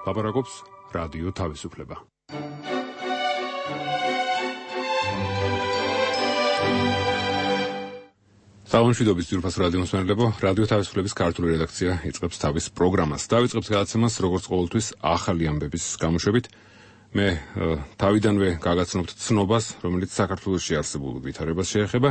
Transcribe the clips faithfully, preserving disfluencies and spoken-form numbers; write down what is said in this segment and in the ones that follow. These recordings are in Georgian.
ლაპარაკობს რადიო თავისუფლება. Საუბრობთ ძირფას რადიო მსმენელებო, რადიო თავისუფლების ქართული რედაქცია იწყებს თავის პროგრამას. დავიწყებთ გადაცემას როგორც ყოველთვის ახალი ამბების გამოშვებით. მე თავიდანვე გაგაცნობთ ცნობას, რომელიც საქართველოში არსებულ ვითარებას შეეხება.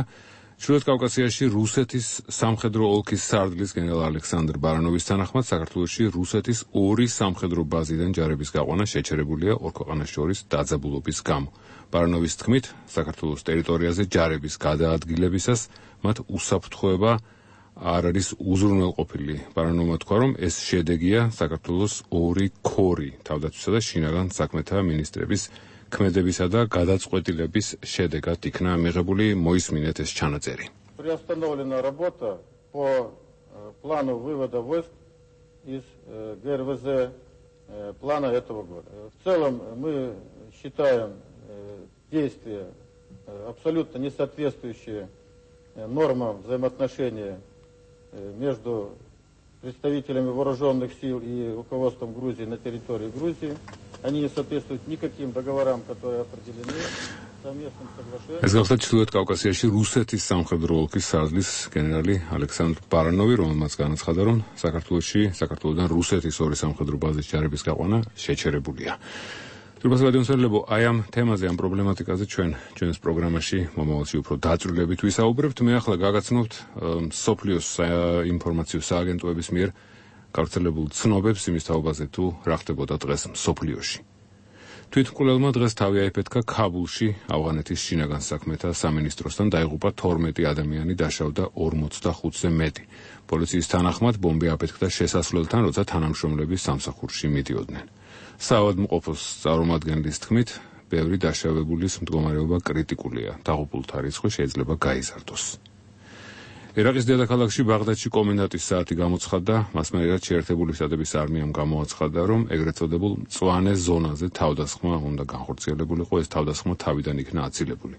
ჩრდილოეთ კავკასიაში რუსეთის სამხედრო ოლქის სარდლის გენერალ ალექსანდრ ბარანოვის თანახმად საქართველოში რუსეთის ორი სამხედრო ბაზიდან ჯარების გაყვანა შეჩერებულია ორ ქვეყანას შორის დაძაბულობის გამო. ბარანოვის თქმით, საქართველოს ტერიტორიაზე ჯარების გადაადგილებისას მათ უსაფრთხოება არ არის უზრუნველყოფილი. ბარანოვმა თქვა, რომ ეს შედეგია საქართველოს ორი ქორი თავდაცვისა და შინაგან საქმეთა მინისტრების ქმედებისა და გადაწყვეტილების შედეგად იქნა მიღებული. მოისმინეთ ეს ჩანაწერი. Приостановлена работа по плану вывода войск из ГРВЗ плана этого года. В целом мы считаем действия абсолютно не соответствующие нормам взаимоотношения между представителями вооруженных сил и руководством Грузии на территории Грузии. Они не соответствуют никаким договорам, которые определены совместным соглашением. ეს გახლავთ ჩრდილოეთ კავკასიაში რუსეთის სამხედრო ოლქის სარდლის გენერალი ალექსანდრ ბარანოვი, რომელმაც განაცხადა, რომ საქართველოში საქართველოდან რუსეთის ორი სამხედრო ბაზის ჯარების გაყვანა შეჩერებულია. ძირფას რადიო მსმენელებო, აი ამ თემაზე, ამ პრობლემატიკაზე ჩვენ ჩვენს პროგრამაში მომავალში უფრო დაწვრილებით ვისაუბრებთ. მე ახლა გაგაცნობთ სოფლიოს ინფორმაციო სააგენტოების მიერ გავრცელებულ ცნობებს იმის თაობაზე, თუ რა ხდებოდა დღეს სოფლიოში. თვითმკვლელმა დღეს თავი აიფეთქა ქაბულში, ავღანეთის შინაგან საქმეთა სამინისტროსთან დაიღუპა თორმეტი ადამიანი, დაშავდა ორმოცდახუთზე მეტი. პოლიციის თანახმად ბომბი აფეთქდა შესასვლელთან, როცა თანამშრომლები სამსახურში მიდიოდნენ. საავადმყოფოს წარმომადგენლის თქმით, ბევრი დაშავებულის მდგომარეობა კრიტიკულია. დაღუპულთა რიცხვი შეიძლება გაიზარდოს. ერაყის დედაქალაქში ბაღდადში კომენდანტის საათი გამოცხადდა, მას მერე შეერთებული შტატების არმიამ გამოაცხადა, რომ ეგრეთ წოდებულ მწვანე ზონაზე თავდასხმა უნდა განხორციელებულიყო, ეს თავდასხმა თავიდან იქნა აცილებული.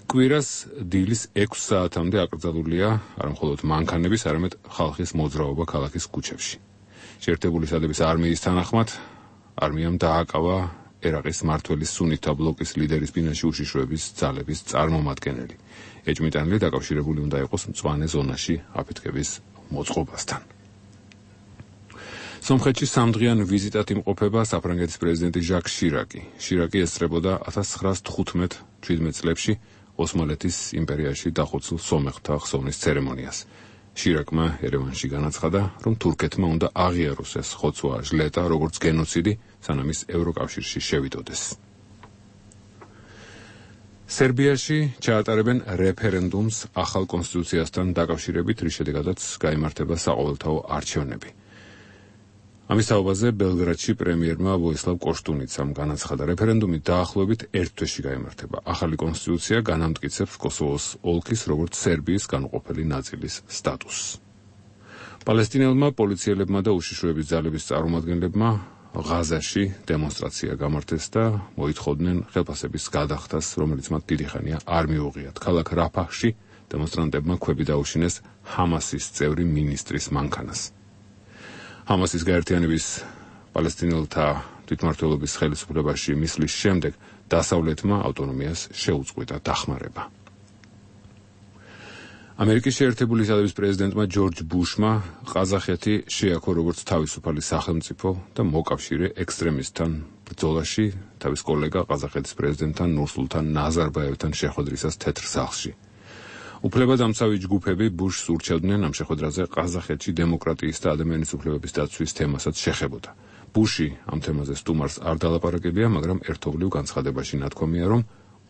კვირას დილის ექვს საათამდე აკრძალულია არამხოლოდ მანქანების, არამედ ხალხის მოძრაობა ქალაქის ქუჩებში. შეერთებული შტატების არმიის თანახმად არმიამ დააკავა ერაყის მმართველის სუნითა ბლოკის ლიდერის ბინაში უშიშროების ძალების წარმომადგენელი. ეჭვმიტანილი დაკავშირებული უნდა იყოს მწვანე ზონაში აფეთქების მოწყობასთან. სომხეთში სამდღიან ვიზიტად იმყოფება საფრანგეთის პრეზიდენტი ჟაკ შირაკი. შირაკი ესწრებოდა ათას ცხრაას თხუთმეტ შვიდმეტ წლებში ოსმალეთის იმპერიაში დახოცილ სომეხთა ხსოვნის ცერემონიას. შირაკმა ერევანში განაცხადა, რომ თურქეთმა უნდა აღიაროს ეს ხოცვა ჟლეტა როგორც გენოციდი, სანამ ის ევროკავშირში შევიდოდეს. სერბიაში ჩაატარებენ რეფერენდუმს ახალ კონსტიტუციასთან დაკავშირებით, რის შედეგადაც გაიმართება საყოველთაო არჩევნები. ამის თაობაზე ბელგრადში პრემიერმა ვოისლავ კოშტუნიცამ განაცხადა, რეფერენდუმი დაახლოებით ერთ თვეში გაიმართება. ახალი კონსტიტუცია განამტკიცებს კოსოვოს ოლქის როგორც სერბიის განუყოფელი ნაწილის სტატუსს. პალესტინელმა პოლიციელებმა და უშიშროების ძალების წარმომადგენლებმა ღაზაში დემონსტრაცია გამართეს და მოითხოვდნენ ხელფასების გადახდას, რომელიც მათ დიდი ხანია არ მიუღიათ. ქალაქ რაფაჰში დემონსტრანტებმა ქვები დაუშინეს ჰამასის წევრი მინისტრის მანქანას. ჰამასის გაერთიანების პალესტინელთა თვითმმართველობის ხელისუფლებაში მისვლის შემდეგ დასავლეთმა ავტონომიას შეუწყვიტა დახმარება. ამერიკის შეერთებული შტატების პრეზიდენტმა ჯორჯ ბუშმა ყაზახეთი შეაქო როგორც თავისუფალი სახელმწიფო და მოკავშირე ექსტრემისტთან ბრძოლაში თავის კოლეგა ყაზახეთის პრეზიდენტთან ნურსულთან ნაზარბაევთან შეხვედრისას თეთრ სახლში. უფლებადამცავი ჯგუფები ბუშს ურჩევდნენ ამ შეხვედრაზე ყაზახეთში დემოკრატიის და ადამიანის უფლებების დაცვის თემასაც შეხებოდა. ბუში ამ თემაზე სტუმარს არ დალაპარაკებია, მაგრამ ერთობლივ განცხადებაში ნათქვამია, რომ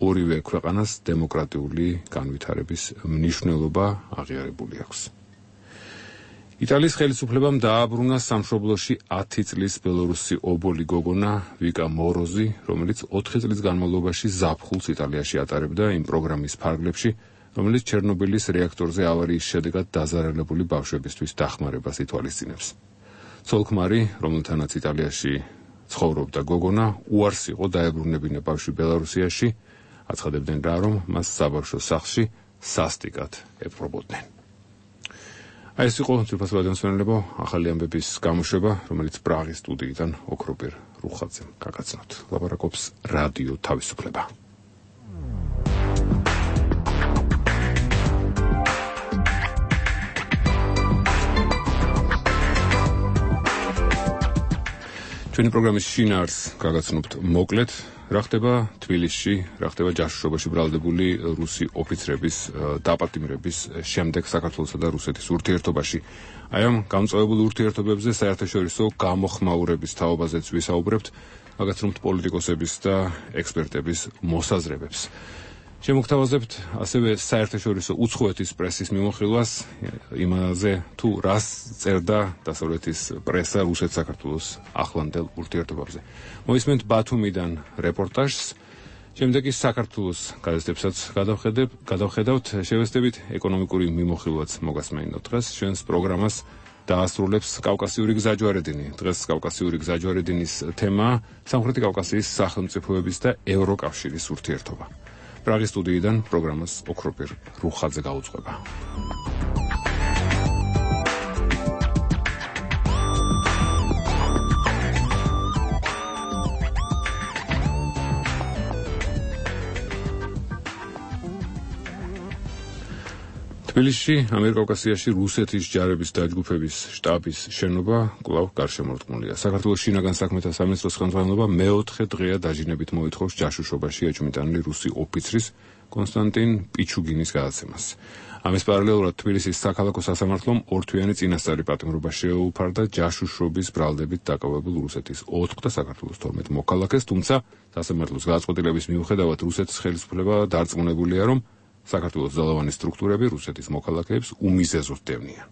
ორივე ქვეყანას დემოკრატიული განვითარების მნიშვნელობა აღიარებული აქვს. იტალიის ხელისუფლებამ დააბრუნა სამშობლოში ათი წლის ბელორუსი ობოლი გოგონა ვიკა მოროზი, რომელიც ოთხი წლის განმავლობაში ზაფხულს იტალიაში ატარებდა იმ პროგრამის ფარგლებში, რომელიც ჩერნობილის რეაქტორზე ავარიის შედეგად დაზარალებული ბავშვებისთვის დახმარებას ითვალისწინებს. ცოლ-ქმარი, რომელთანაც იტალიაში ცხოვრობდა გოგონა, უარს იყო დაებრუნებინა ბავშვი ბელარუსიაში, აცხადებდნენ რა, რომ მას საბავშვო სახლში სასტიკად ეპყრობოდნენ. აი ეს იყო ძვირფასი რადიოსმენელებო, ახალი ამბების გამოშვება, რომელიც პრაღის სტუდიიდან ოქროპირ რუხაძემ გაგაცნოთ. ლაპარაკობს რადიო თავისუფლება. ჩვენი პროგრამის შინაარს გაგაცნობთ მოკლედ, რა ხდება თბილისში, რა ხდება ჯაშუშობაში ბრალდებული რუსი ოფიცრების დაპატიმრების შემდეგ საქართველოსა და რუსეთის ურთიერთობაში. აი ამ გამწვავებულ ურთიერთობებზე საერთაშორისო გამოხმაურების თაობაზეც ვისაუბრებთ, გაგაცნობთ პოლიტიკოსების და ექსპერტების მოსაზრებებს. შემოგთავაზებთ ასევე საერთაშორისო უცხოეთის პრესის მიმოხილვას იმაზე თუ რას წერდა დასავლეთის პრესა რუსეთ-საქართველოს ახლანდელ ურთიერთობებზე. მოისმენთ ბათუმიდან რეპორტაჟს, შემდეგ ის საქართველოს გაზეთებსაც გადავხედავთ, შევესწრებით ეკონომიკური მიმოხილვაც მოგასმენინოთ დღეს. ჩვენს პროგრამას დაასრულებს კავკასიური გზაჯვარედინი. დღეს კავკასიური გზაჯვარედინის თემაა სამხრეთი კავკასიის სახელმწიფოების და ევროკავშირის ურთიერთობა. პრაღის სტუდიიდან პროგრამას ოქროპირ რუხაძე გაუძღვება. თბილისში, ამიერკავკასიაში რუსეთის ჯარების დაჯგუფების შტაბის შენობა კვლავ გარშემორტყმულია. საქართველოს შინაგან საქმეთა სამინისტროს ხელმძღვანელობა მეოთხე დღეა დაჟინებით მოითხოვს ჯაშუშობაში ეჭვმიტანილი რუსი ოფიცრის კონსტანტინ პიჩუგინის გადაცემას. ამის პარალელურად თბილისის საქალაქო სასამართლომ ორთვიანი წინასწარი პატიმრობა შეუფარდა ჯაშუშობის ბრალდებით დაკავებულ რუსეთის ოთხ და საქართველოს თორმეტ მოქალაქეს, თუმცა სასამართლოს გადაწყვეტილების მიუხედავად რუსეთის ხელისუფლება დარწმუნებულია, რომ საქართველოს ძალოვანი სტრუქტურები რუსეთის მოქალაქეებს უმიზეზოდ დევნიან.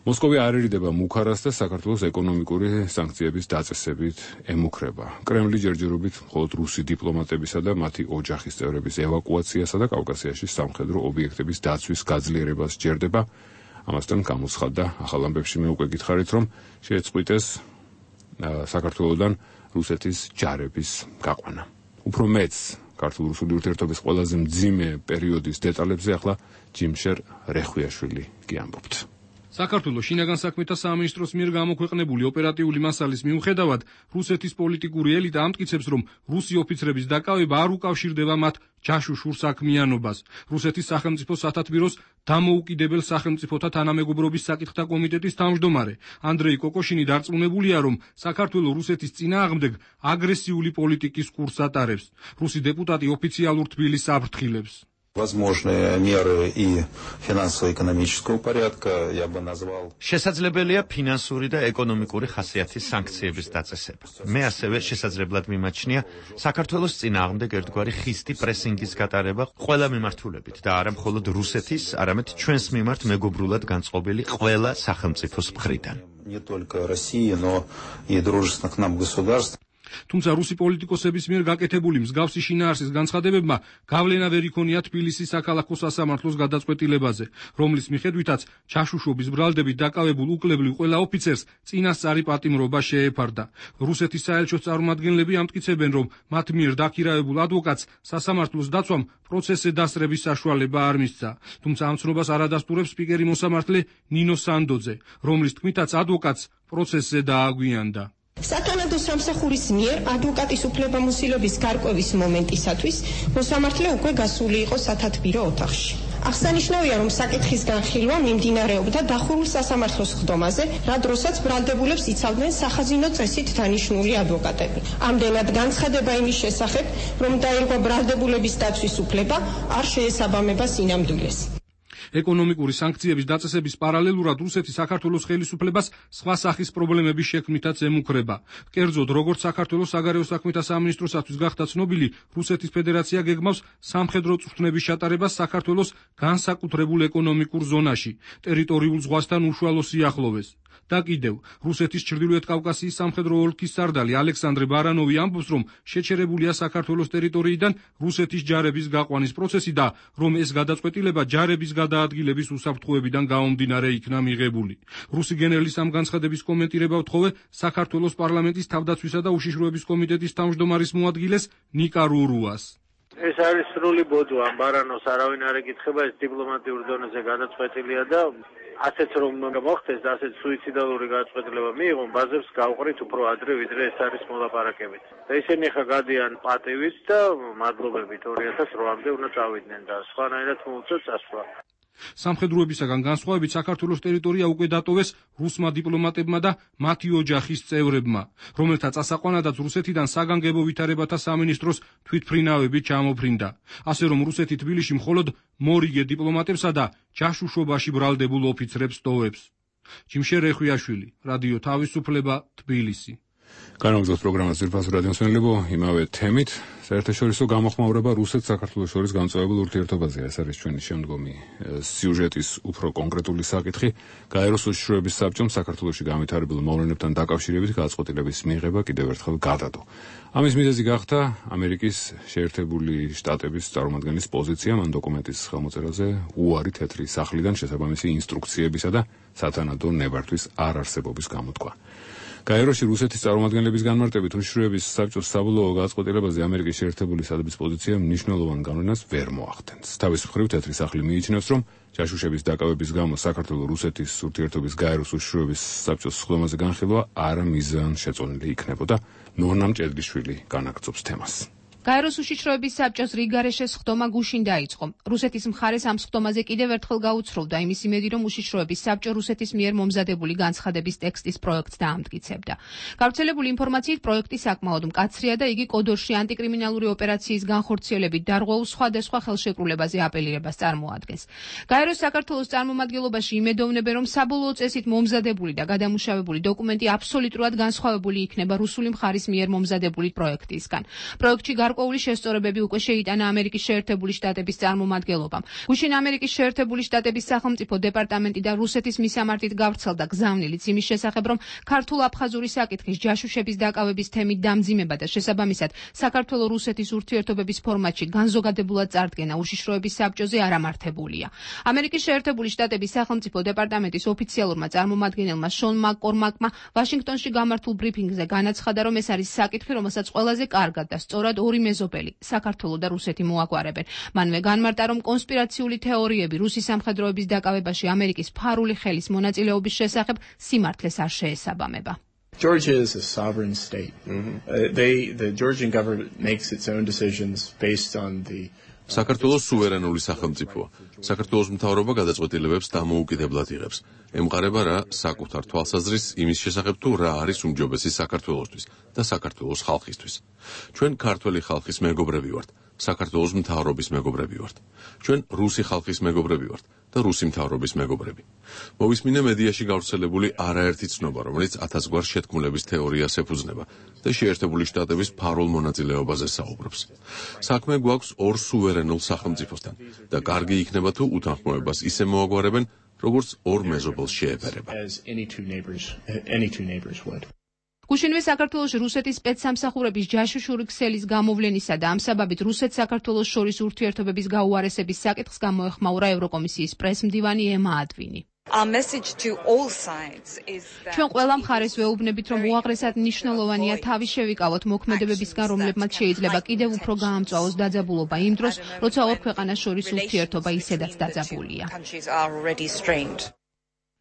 მოსკოვი არ ერიდება მუხარას და საქართველოს ეკონომიკური სანქციების დაწესებით ემუქრება. კრემლი ჯერჯერობით მხოლოდ რუსი დიპლომატებისა და მათი ოჯახის წევრების ევაკუაციასა და კავკასიაში სამხედრო ობიექტების დაცვის გაძლიერებას სჯერდება. ამასთან გამოცხადდა ახალ ამბებში მე უკვე გითხარით, რომ შეეწყვიტეს საქართველოსთან რუსეთის ჯარების გაყვანა. უფრო მეც ქართულ-რუსული ურთიერთობის ყველაზე მძიმე პერიოდის დეტალებზე ახლა ჯიმშერ რეხვიაშვილი გიამბობთ. საქართველოს შინაგან საქმეთა სამინისტროს მიერ გამოქვეყნებული ოპერატიული მასალის მიუხედავად, რუსეთის პოლიტიკური ელიტა ამტკიცებს, რომ რუსი ოფიცრების დაკავება არ უკავშირდება მათ ჯაშუშურ საქმიანობას. რუსეთის სახელმწიფო სათათბიროს დამოუკიდებელ სახელმწიფოთა თანამეგობრობის საკითხთა კომიტეტის თავმჯდომარე ანდრეი კოკოშინი დარწმუნებულია, რომ საქართველოს რუსეთის წინააღმდეგ აგრესიული პოლიტიკის კურსს ატარებს. რუსი დეპუტატი ოფიციალურ თბილისს აფრთხილებს. Возможные меры и финансово-экономического порядка я бы назвал. შესაძლებელია ფინანსური და ეკონომიკური ხასიათის სანქციების დაწესება. მე ასევე შესაძლებლად მიმაჩნია საქართველოს წინააღმდეგ ერთგვარი ხისტი პრესინგის გატარება ყველა მიმართულებით და არა მხოლოდ რუსეთის, არამედ ჩვენს მიმართ მეგობრულად განწყობილი ყველა სახელმწიფოს მხრიდან. Не только России, но и дружественных нам государств. თუმცა რუსი პოლიტიკოსების მიერ გაკეთებული მსგავსი შინაარსის განცხადებებმა გავლენა ვერ იქონია თბილისის საქალაქო სასამართლოს გადაწყვეტილებაზე, რომლის მიხედვითაც ჯაშუშობის ბრალდებით დაკავებულ უკლებლივ ყველა ოფიცერს წინასწარი პატიმრობა შეეფარდა. რუსეთის საელჩოს წარმომადგენლები ამტკიცებენ, რომ მათ მიერ დაქირავებულ ადვოკატს სასამართლოს დაცვამ პროცესზე დასწრების საშუალება არ მისცა. თუმცა ამ ცნობას არ ადასტურებს სპიკერი მოსამართლე ნინო სანდოძე, რომლის თქმითაც ადვოკატს პროცესზე დააგვიანდა. სათანადო სამსახურის მიერ ადვოკატის უფლებამოსილების გარკვევის მომენტისათვის მოსამართლე უკვე გასული იყო სათათბირო ოთახში. აღსანიშნავია, რომ საკითხის განხილვა მიმდინარეობდა დახურულ სასამართლოს ხდომაზე, რა დროსაც ბრალდებულებს იცავდნენ სახაზინო წესით დანიშნული ადვოკატები. ამდენად განცხადება იმის შესახებ, რომ დაირღვა ბრალდებულების დაცვის უფლება, არ შეესაბამება სინამდვილეს. ეკონომიკური სანქციების დაწესების პარალელურად რუსეთი საქართველოს ხელისუფლებას სხვა სახის პრობლემების შექმნითაც ემუქრება. კერძოდ, როგორც საქართველოს საგარეო საქმეთა სამინისტროსათვის გახდა ცნობილი, რუსეთის ფედერაცია გეგმავს სამხედრო წვრთნების ჩატარებას საქართველოს განსაკუთრებულ ეკონომიკურ ზონაში, ტერიტორიულ ზღვასთან უშუალო სიახლოვეს. და კიდევ, რუსეთის ჩრდილოეთ კავკასიის სამხედრო ოლქის სარდალი ალექსანდრე ბარანოვი ამბობს, რომ შეჩერებულია საქართველოს ტერიტორიიდან რუსეთის ჯარების გაყვანის პროცესი და რომ ეს გადაწყვეტილება ჯარების გადაადგილების უსაფრთხოებიდან გამომდინარე იქნა მიღებული. რუსი გენერლის ამ განცხადების კომენტირება ვთხოვე საქართველოს პარლამენტის თავდაცვისა და უშიშროების კომიტეტის თავმჯდომარის მოადგილეს ნიკა რურუას. ეს არის სრული ბოდვა, ბარანოს არავინ არ ეკითხება, ეს დიპლომატიურ დონეზე გადაწყვეტილია და ასეც რომ მოხდეს და ასეც სუიციდალური გადაწყვეტილება მიიღონ, ბაზებს გავყრით უფრო ადრე, ვიდრე ეს არის მოლაპარაკებით. და ისინი ხა გადიან პატივით და მადლობებით ორი ათას რვამდე უნდა წავიდნენ და სხვანაირად მოუწევთ წასვლა. სამხედროებისაგან განსხვავებით საქართველოს ტერიტორია უკვე დატოვეს რუსმა დიპლომატებმა და მათი ოჯახის წევრებმა, რომელთა წასაყვანადაც რუსეთიდან საგანგებო ვითარებათა სამინისტროს თვითმფრინავები ჩამოფრინდა. ასე რომ რუსეთი თბილისში მხოლოდ მორიგე დიპლომატებსა და ჯაშუშობაში ბრალდებულ ოფიცრებს ტოვებს. ჯიმშე რეხვიაშვილი, რადიო თავისუფლება, თბილისი. განაგრძობს პროგრამას ძირფასი რადიომსმენელებო, იმავე თემით, საერთაშორისო გამოხმაურება რუსეთ-საქართველოს შორის გამწვავებულ ურთიერთობაზე. ეს არის ჩვენი შემდგომი სიუჟეტის უფრო კონკრეტული საკითხი. გაეროს უშიშროების საბჭომ საქართველოში განვითარებულ მოვლენებთან დაკავშირებით გადაწყვეტილების მიღება კიდევ ერთხელ გადადო. ამის მიზეზი გახდა ამერიკის შეერთებული შტატების წარმომადგენლის პოზიცია მან დოკუმენტის ხელმოწერაზე უარი თეთრი სახლიდან შესაბამისი ინსტრუქციებისა და სათანადო ნებართვის არ არსებობის გამოთქვა. გაეროში რუსეთის წარმომადგენლების განმარტებით უშიშროების საბჭოს საბოლოო გადაწყვეტილებაზე ამერიკის შეერთებული შტატების პოზიცია მნიშვნელოვან გავლენას ვერ მოახდენს. თავის მხრივ თეთრი სახლი მიიჩნევს, რომ ჯაშუშების დაკავების გამო საქართველოს-რუსეთის ურთიერთობის გაეროს უშიშროების საბჭოს სხდომაზე განხილვა არა მიზანშეწონილი იქნებოდა. ნორნა მჭედლიშვილი განაგრძობს თემას. გაეროს უშიშროების საბჭოს რიგგარეშე სხდომა გუშინ დაიწყო. რუსეთის მხარეს ამ სხდომაზე კიდევ ერთხელ გაუცროვდა იმის იმედი, რომ უშიშროების საბჭო რუსეთის მიერ მომზადებული განცხადების ტექსტის პროექტს დაამტკიცებდა. გავრცელებული ინფორმაციით პროექტი საკმაოდ მკაცრია და იგი კოდორში ანტიკრიმინალური ოპერაციის განხორციელებით დარღვეულ სხვადასხვა ხელშეკრულებაზე აპელირებას წარმოადგენს. გაეროს საქართველოს წარმომადგენლობაში იმედოვნებენ, რომ საბოლოო წესით მომზადებული და გადამუშავებული დოკუმენტი აბსოლუტურად განსხვავებული იქნება რუსული მხარის მიერ მომზადებული პროექტისგან. პროექტში გარკვეული შესწორებები უკვე შეიტანა ამერიკის შეერთებული შტატების წარმომადგენლობამ. გუშინ ამერიკის შეერთებული შტატების სახელმწიფო დეპარტამენტი და რუსეთის მისამართით გავრცელდა გზავნილიც იმის შესახებ, რომ ქართულ-აფხაზური საკითხის ჯაშუშების დაკავების თემით დამძიმება და შესაბამისად საქართველო-რუსეთის ურთიერთობების ფორმატში განზოგადებულად წარდგენა უშიშროების საბჭოზე არ ამართებულია. ამერიკის შეერთებული შტატების სახელმწიფო დეპარტამენტის ოფიციალურმა წარმომადგენელმა შონ მაკკორმაკმა ვაშინგტონში გამართულ ბრიფინგზე განაცხადა, რომ ეს არის საკითხი, რომელსაც ყველაზე კარგად და სწორად ორი მეზობელი, საქართველო და რუსეთი მოაგვარებენ. მანვე განმარტა, რომ კონსპირაციული თეორიები რუსის სამხედროების დაკავებაში ამერიკის ფარული ხელის მონაწილეობის შესახებ სიმართლეს არ შეესაბამება. Georgia is a sovereign state. Mm-hmm. uh, they, the Georgian government makes its own decisions based on the საქართველოს სუვერენული სახელმწიფოა. საქართველოს მთავრობა გადაწყვეტილებებს დამოუკიდებლად იღებს. ემყარება რა საკუთარ თვალსაზრისს იმის შესახებ თუ რა არის უმჯობესი საქართველოსთვის და საქართველოს ხალხისთვის. ჩვენ ქართველი ხალხის მეგობრები ვართ, საქართველოს მთავრობის მეგობრები ვართ. ჩვენ რუსი ხალხის მეგობრები ვართ და რუსი მთავრობის მეგობრები. მოვისმინე მედიაში გავრცელებული არაერთი ცნობა, რომელიც ათასგვარ შეთქმულების თეორიას ეფუძნება და შეერთებული შტატების ფარულ მონაწილეობაზე საუბრობს. საქმე გვაქვს ორ სუვერენულ სახელმწიფოსთან და კარგი იქნება თუ უთანხმოებას ისე მოაგვარებენ, როგორც ორ მეზობელს შეეფერება. გუშინვე საქართველოში რუსეთის სპეცსამსახურების ჯაშუშური ქსელის გამოვლენისა და ამ საბაბით რუსეთ-საქართველოს შორის ურთიერთობების გაუარესების საკითხს გამოეხმაურა ევროკომისიის პრესმდივანი ემა ადვინი. ჩვენ ყველა მხარეს ვეუბნებით, რომ უაღრესად მნიშვნელოვანია თავი შევიკავოთ მოქმედებებისგან, რომლებმაც შეიძლება კიდევ უფრო გაამწვავოს დაძაბულობა იმ დროს, როცა ორ ქვეყანას შორის ურთიერთობა ისედაც დაძაბულია.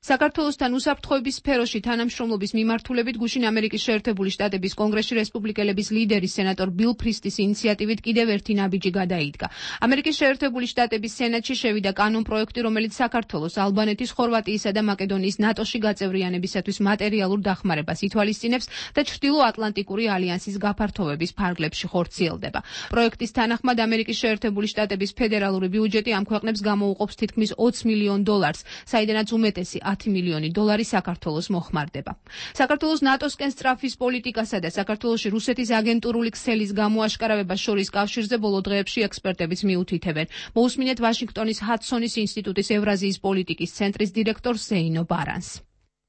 საქართველოსთან უსაფრთხოების სფეროში თანამშრომლობის მიმართულებით გუშინ ამერიკის შეერთებული შტატების კონგრესში რესპუბლიკელების ლიდერი სენატორ ბილ ფრისტის ინიციატივით კიდევ ერთი ნაბიჯი გადაიდგა. ამერიკის შეერთებული შტატების სენატში შევიდა კანონპროექტი, რომელიც საქართველოს, ალბანეთის, ხორვატიისა და მაკედონიის ნატოში გაწევრიანებისათვის მატერიალურ დახმარებას ითვალისწინებს და ჩრდილო-ატლანტიკური ალიანსის გაფართოვების ფარგლებში ხორციელდება. პროექტის თანახმად ამერიკის შეერთებული შტატების ფედერალური ბიუჯეტი ამ ქვეყნებს გამოუყოფს თითქმის ოცი მილიონ დოლარს, საიდანაც უმეტესი ათი მილიონი დოლარი საქართველოს მოხმარდება. საქართველოს ნატოსკენ სწრაფის პოლიტიკასა და საქართველოში რუსეთის აგენტურული ქსელის გამოაშკარავებას შორის კავშირზე ბოლო დღეებში ექსპერტებიც მიუთითებენ. მოусმინეთ ვაშინგტონის ჰადსონის ინსტიტუტის ევრაზიის პოლიტიკის ცენტრის დირექტორ ზეინო ბარანს.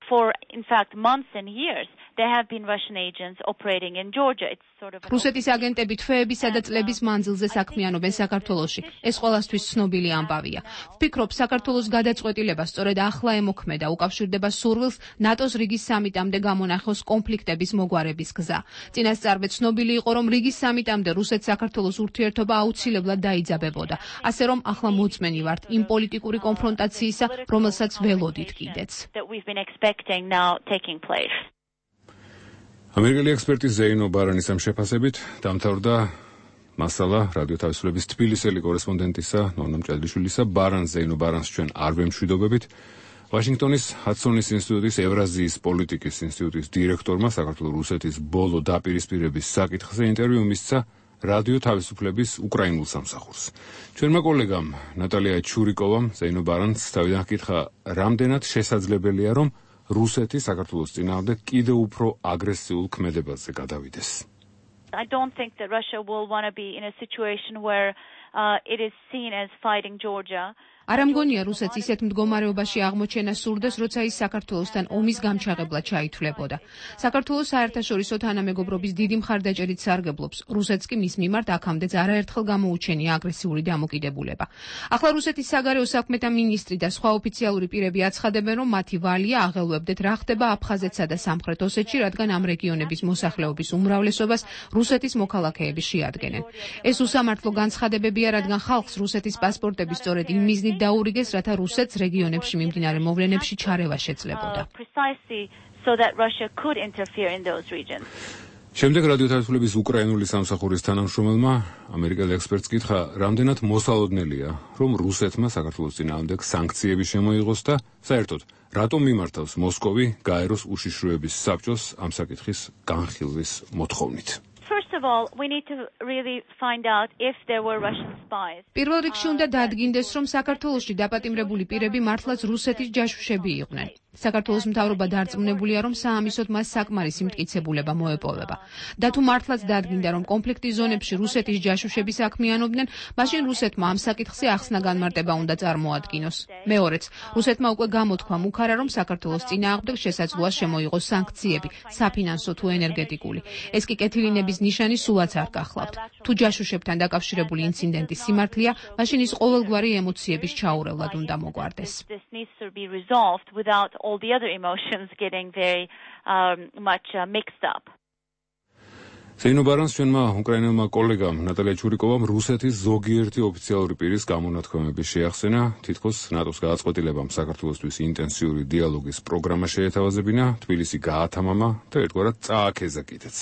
For in fact months and years there have been Russian agents operating in Georgia. It's sort of რუსეთის აგენტები თვეებისა და წლების მანძილზე საქმიანობენ საქართველოში. ეს ყველასთვის ცნობილი ამბავია. ვფიქრობ, საქართველოს გადაწყვეტილება სწორედ ახლა ემოქმედა, უკავშირდება სურვილს ნატოს რიგის სამიტამდე გამონახოს კონფლიქტების მოგვარების გზა. წინასწარვე ცნობილი იყო, რომ რიგის სამიტამდე რუსეთ-საქართველოს ურთიერთობა აუცილებლად დაიძაბებოდა. ასე რომ ახლა მოწმენი ვართ იმ პოლიტიკური კონფრონტაციისა, რომელსაც ველოდით კიდეც. ამერიკელი ექსპერტი ზეინო ბარანის ამ შეფასებით დამთავრდა მასალა რადიო თავისუფლების თბილისელი კორესპონდენტისა ნონა მჭედლიშვილისა. ბარანს ზეინო ბარანს ჩვენ არ ვემშვიდობებით. ვაშინგტონის ჰადსონის ინსტიტუტის ევრაზიის პოლიტიკის ინსტიტუტის დირექტორმა საქართველოს რუსეთის ბოლო დაპირისპირების საკითხზე ინტერვიუ მისცა რადიო თავისუფლების უკრაინულ სამსახურს. ჩვენმა კოლეგამ ნატალია ჩურიკოვამ ზეინო ბარანს თავიდან ჰკითხა, რამდენად შესაძლებელია, რომ რუსეთი საქართველოს წინააღმდეგ კიდევ უფრო აგრესიულ ქმედებაზე გადავიდეს. I don't think that Russia will want to be in a situation where uh, it is seen as fighting Georgia. არა მგონია რუსეთს ისეთ მდგომარეობაში აღმოჩენა სურდეს, როცა ის საქართველოსთან ომის გამჩაღებლად ჩაითვლებოდა. საქართველოს საერთაშორისო თანამეგობრობის დიდი მხარდაჭერით სარგებლობს. რუსეთს კი მის მიმართ აქამდეც არაერთხელ გამოუჩენია აგრესიული დამოკიდებულება. ახლა რუსეთის საგარეო საქმეთა მინისტრი და სხვა ოფიციალური პირები აცხადებენ, რომ მათი ვალია აღელვებდეთ რა ხდება აფხაზეთსა და სამხრეთ ოსეთში, რადგან ამ რეგიონების მოსახლეობის უმრავლესობას რუსეთის მოქალაქეები შეადგენენ. ეს უსამართლო განცხადებებია, რადგან ხალხს რუსეთის პასპორტები სწორედ იმ მიზნით დაურიგეს, რათა რუსეთს რეგიონებში მიმდინარე მოვლენებში ჩარევა შეძლებოდა. შემდეგ რადიო თავისუფლების უკრაინული სამსახურის თანამშრომელმა ამერიკელ ექსპერტს კითხა, რამდენად მოსალოდნელია, რომ რუსეთმა საქართველოს წინააღმდეგ სანქციები შემოიღოს და საერთოდ რატომ მიმართავს მოსკოვი გაეროს უშიშროების საბჭოს ამ საკითხის განხილვის მოთხოვნით. First of all, we need to really find out if there were Russian spies. პირველ რიგში უნდა დადგინდეს, რომ საქართველოში დაპატიმრებული პირები მართლაც რუსეთის ჯაშუშები იყვნენ. საქართველოს მთავრობა დარწმუნებულია, რომ საამისოდ მას საკმარისი მტკიცებულება მოეპოვება. და თუ მართლაც დადგინდა, რომ კონფლიქტის ზონებში რუსეთის ჯაშუშები საქმიანობდნენ, მაშინ რუსეთმა ამ საკითხზე ახსნა განმარტება უნდა წარმოადგინოს. მეორეც, რუსეთმა უკვე გამოთქვა მუქარა, რომ საქართველოს წინააღმდეგ შესაძლოა შემოიღოს სანქციები, საფინანსო თუ ენერგეტიკული. ეს კი კეთილინების ნიშანი სულაც არ გახლავთ. თუ ჯაშუშებთან დაკავშირებული ინციდენტი სიმართლეა, მაშინ ის ყოველგვარი ემოციების ჩაურევლად უნდა მოგვარდეს. All the other emotions getting very um, much uh, mixed up. ზეინო ბარანს ჩვენმა უკრაინელმა კოლეგამ ნატალია ჩურიკოვამ რუსეთის ზოგიერთი ოფიციალური პირის გამონათქვამები შეახსენა, თითქოს ნატოს გადაწყვეტილებამ საქართველოსთვის ინტენსიური დიალოგის პროგრამა შეეთავაზებინა, თბილისი გაათამამა და ერთგვარად წააქეზა კიდეც.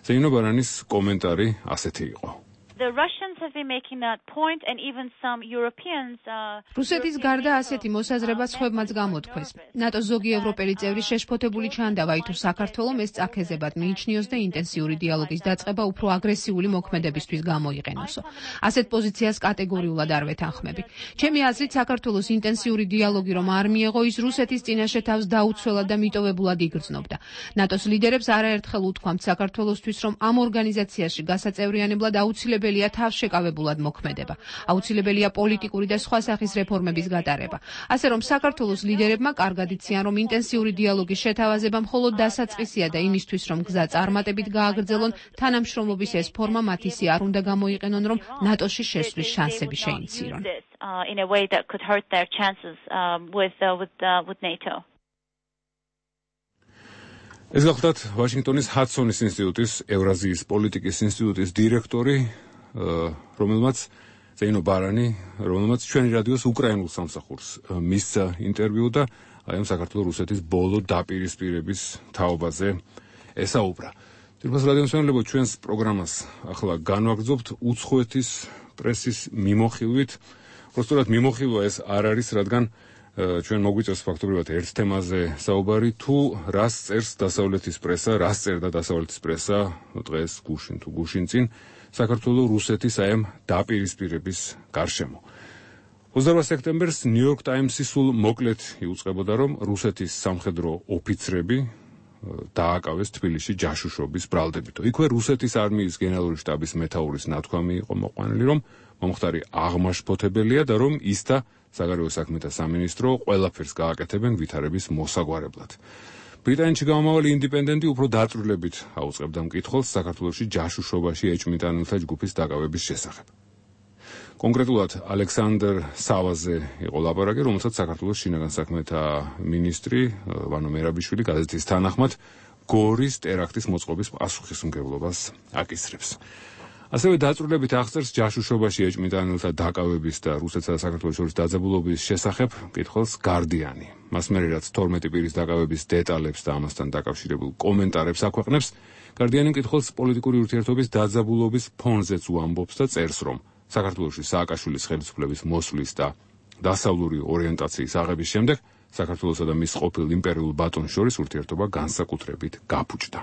ზეინო ბარანის კომენტარი ასეთი იყო. The Russians have been making that point and even some Europeans uh რუსეთის გარდა ასეთი მოსაზრება სხვებმაც გამოთქვეს. ნატოს ზოგი ევროპელი წევრი შეშფოთებული ჩანდავა, თუ საქართველოს ეს წაქეზებად მიიჩნიოს და ინტენსიური დიალოგის დაწყება უფრო აგრესიული მოქმედებისთვის გამოიყენოსო. ასეთ პოზიციას კატეგორიულად არ ვეთანხმები. ჩემი აზრით, საქართველოს ინტენსიური დიალოგი რომ არ მიეღო, ის რუსეთის წინაშე თავს დაუცველად და მიტოვებულად იგრძნობდა. ნატოს ლიდერებს არაერთხელ უთქვამთ საქართველოსთვის, რომ ამ ორგანიზაციაში გასაწევრიანებლად აუცილებელი აუცილებელია თავშეკავებულად მოქმედება. აუცილებელია პოლიტიკური და სხვა სახის რეფორმების გატარება. ასე რომ საქართველოს ლიდერებმა კარგად იციან, რომ ინტენსიური დიალოგის შეთავაზება მხოლოდ დასაწყისია და იმისთვის, რომ გზა წარმატებით გააგრძელონ, თანამშრომლობის ეს ფორმა მათ ისე არ უნდა გამოიყენონ, რომ ნატოში შესვლის შანსები შეინცირონ. in a way that could hurt their chances um, with uh, with uh, with NATO. ეს გახლდათ ვაშინგტონის ჰადსონის ინსტიტუტის ევრაზიის პოლიტიკის ინსტიტუტის დირექტორი, რომელმაც ზეინო ბარანი, რომელმაც ჩვენი რადიოს უკრაინულ სამსახურს მისცა ინტერვიუ და აი ამ საქართველოს რუსეთის ბოლო დაპირისპირების თაობაზე ესაუბრა. თვითონ რადიო მსმენელებო, ჩვენს პროგრამას ახლა განვაგრძობთ უცხოეთის პრესის მიმოხილვით. Prostrat მიმოხილვა ეს არ არის, რადგან ჩვენ მოგვიწევს ფაქტობრივად ერთ თემაზე საუბარი, თუ რას წერს დასავლეთის პრესა, რას წერდა დასავლეთის პრესა დღეს გუშინ თუ გუშინ წინ საქართველოს რუსეთის აი ამ დაპირისპირების გარშემო. ოცდაოთხ სექტემბერს ნიუ-იორკ ტაიმსი სულ მოკლედ იუწყებოდა, რომ რუსეთის სამხედრო ოფიცრები დააკავეს თბილისში ჯაშუშობის ბრალდებით. იქვე რუსეთის არმიის გენერალური შტაბის მეთაურის ნათქვამი იყო მოყვანილი, რომ მომხდარი აღმაშფოთებელია და რომ ის და საგარეო საქმეთა სამინისტრო ყველაფერს გააკეთებენ ვითარების მოსაგვარებლად. ბრიტანეთში გამომავალი ინდიპენდენტი უფრო დაწვრილებით აუწყებდა მკითხველს საქართველოში ჯაშუშობაში ეჭვმიტანილთა ჯგუფის დაკავების შესახებ. კონკრეტულად ალექსანდრ სავაზე იყო ლაპარაკი, რომელსაც საქართველოს შინაგან საქმეთა მინისტრი ვანო მერაბიშვილი გაზეთის თანახმად გორის ტერაქტის მოწყობის პასუხისმგებლობას აკისრებს. ასევე დაწვრილებით აღწერს ჯაშუშობაში ეჭვმიტანილთა დაკავების და რუსეთსა და საქართველოს შორის დაძაბულობის შესახებ მკითხველს გარდიანი. მას მერე რაც თორმეტი პირის დაკავების დეტალებს და ამასთან დაკავშირებულ კომენტარებს აქვეყნებს, გარდიანი მკითხველს პოლიტიკური ურთიერთობის დაძაბულობის ფონზეც უამბობს და წერს, რომ საქართველოში სააკაშვილის ხელისუფლების მოსვლის და დასავლური ორიენტაციის აღების შემდეგ საქართველოსა და მის ყოფილ იმპერიულ ბატონს შორის ურთიერთობა განსაკუთრებით გაფუჭდა.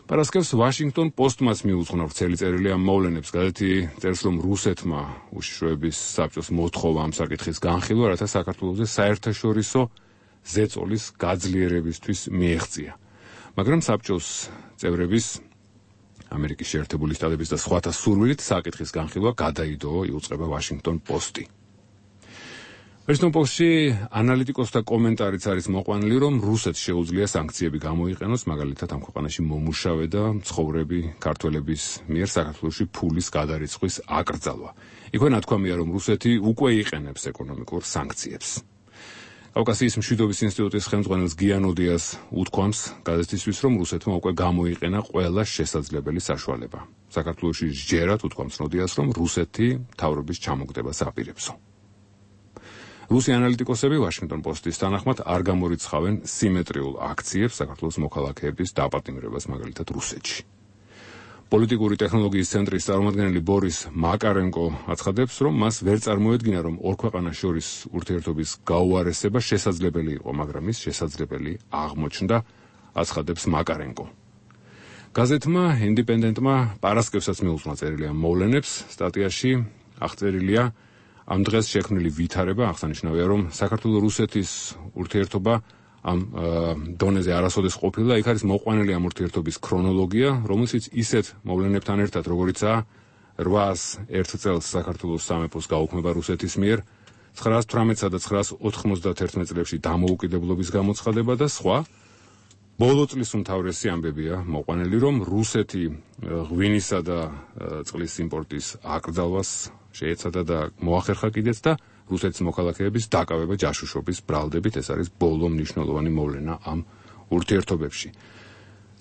პარასკევს ვაშინგტონ პოსტმაც მიუძღვნა ვრცელი წერილი ამ მოვლენებს. გაზეთი წერს, რომ რუსეთმა უშიშროების საბჭოს მოთხოვა ამ საკითხის განხილვა, რათა საქართველოზე საერთაშორისო ზეწოლის გაძლიერებისთვის მიეღწია. მაგრამ საბჭოს წევრების ამერიკის შეერთებული შტატების და სხვათა სურვილით საკითხის განხილვა გადაიდო, იუწყება ვაშინგტონ პოსტი. ვაშინგტონ პოსტში ანალიტიკოსთა კომენტარიც არის მოყვანილი, რომ რუსეთს შეუძლია სანქციები გამოიყენოს, მაგალითად ამ ქვეყანაში მომუშავე და მცხოვრები ქართველების მიერ საქართველოში ფულის გადარიცხვის აკრძალვა. იქვე ნათქვამია, რომ რუსეთი უკვე იყენებს ეკონომიკურ სანქციებს. კავკასიის მშვიდობის ინსტიტუტის ხელმძღვანელს გიანოდიას უთქვამს გაზეთისთვის, რომ რუსეთმა უკვე გამოიყენა ყველა შესაძლებელი საშუალება. საქართველოში სჯერათ უთქვამს ნოდიას, რომ რუსეთი მთავრობის ჩამოგდებას აპირებსო. რუსი ანალიტიკოსები ვაშინგტონ პოსტის თანახმად არ გამორიცხავენ სიმეტრიულ აქციებს საქართველოს მოქალაქეების დაპატიმრებას, მაგალითად რუსეთში. პოლიტიკური ტექნოლოგიის ცენტრის წარმომადგენელი ბორის მაკარენკო აცხადებს, რომ მას ვერ წარმოედგინა, რომ ორ ქვეყანას შორის ურთიერთობის გაუარესება შესაძლებელი იყო, მაგრამ ის შესაძლებელი აღმოჩნდა, აცხადებს მაკარენკო. გაზეთმა ინდიპენდენტმა პარასკევსაც მიუძღვნა წერილი ამ მოვლენებს. სტატიაში აღწერილია ამ დღეს შექმნილი ვითარება, აღსანიშნავია, რომ საქართველო-რუსეთის ურთიერთობა ამ დონეზე არასოდეს ყოფილა. იქ არის მოყვანილი ამ ურთიერთობის ქრონოლოგია, რომელშიც ისეთ მოვლენებთან ერთად, როგორიცაა რვაას ერთ წელს საქართველოს სამეფოს გაუქმება რუსეთის მიერ, ცხრაას თვრამეტსა და ცხრაას ოთხმოცდაათერთმეტ წლებში დამოუკიდებლობის გამოცხადება და სხვა, ბოლო წლის უმთავრესი ამბებია მოყვანილი, რომ რუსეთი ღვინისა და წყლის იმპორტის აკრძალვას შეეცადა და მოახერხა კიდეც და რუსეთის მოქალაქეების დაკავება ჯაშუშობის ბრალდებით. ეს არის ბოლო მნიშვნელოვანი მოვლენა ამ ურთიერთობებში.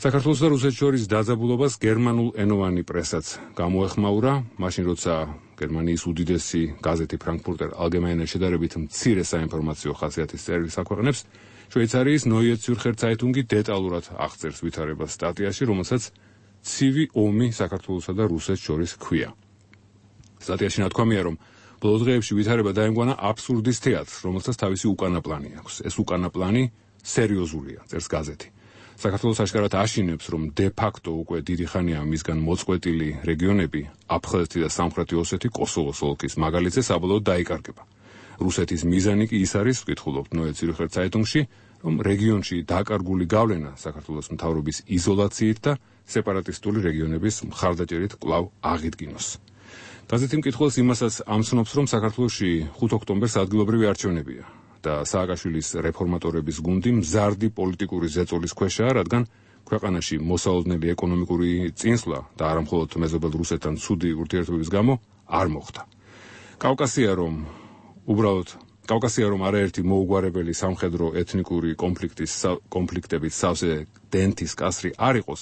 საქართველოს და რუსეთის შორის დაძაბულობას გერმანულ ენოვანი პრესაც გამოეხმაურა, მაშინ როცა გერმანიის უდიდესი გაზეთი ფრანკფურტერ ალგემაინე შედარებით მცირე საინფორმაციო ხასიათის წერილს აქვეყნებს. შვეიცარიის ნოიე ციურხერ ცაიტუნგი დეტალურად აღწერს ვითარებას სტატიაში, რომელსაც ცივი ომი საქართველოსა და რუსეთს შორის ჰქვია. სტატიაში ნათქვამია, რომ ბოლო დღეებში ვითარება დაემკვანა აბსურდის თეატრს, რომელსაც თავისი უკანა პლანი აქვს. ეს უკანა პლანი სერიოზულია, წერს გაზეთი. საქართველოს აშკარად აშინებს, რომ de facto უკვე დიდი ხანია მისგან მოწყვეტილი რეგიონები, აფხაზეთი და სამხრეთი ოსეთი კოსოვოს ოლქის მაგალითზე საბოლოოდ დაიკარგება. რუსეთის მიზანი კი ის არის, ვკითხულობთ ნოე ციურხერ ცაიტუნგში, რომ რეგიონში დაკარგული გავლენა საქართველოს მთავრობის იზოლაციით და სეპარატისტული რეგიონების მხარდაჭერით კვლავ აღიდგინოს. გაზეთი მკითხველს იმასაც ამცნობს, რომ საქართველოში ხუთი ოქტომბერს ადგილობრივი არჩევნებია და სააკაშვილის რეფორმატორების გუნდი მზარდი პოლიტიკური ზეწოლის ქვეშაა, რადგან ქვეყანაში მოსალოდნელი ეკონომიკური წინსვლა და არა მხოლოდ მეზობელ რუსეთთან ცუდი ურთიერთობების გამო არ მოხდა. კავკასია რომ უბრალოდ კავკასია რომ არაერთი მოუგვარებელი სამხედრო ეთნიკური კონფლიქტის კონფლიქტებით სავსე დენთის კასრი არ იყოს,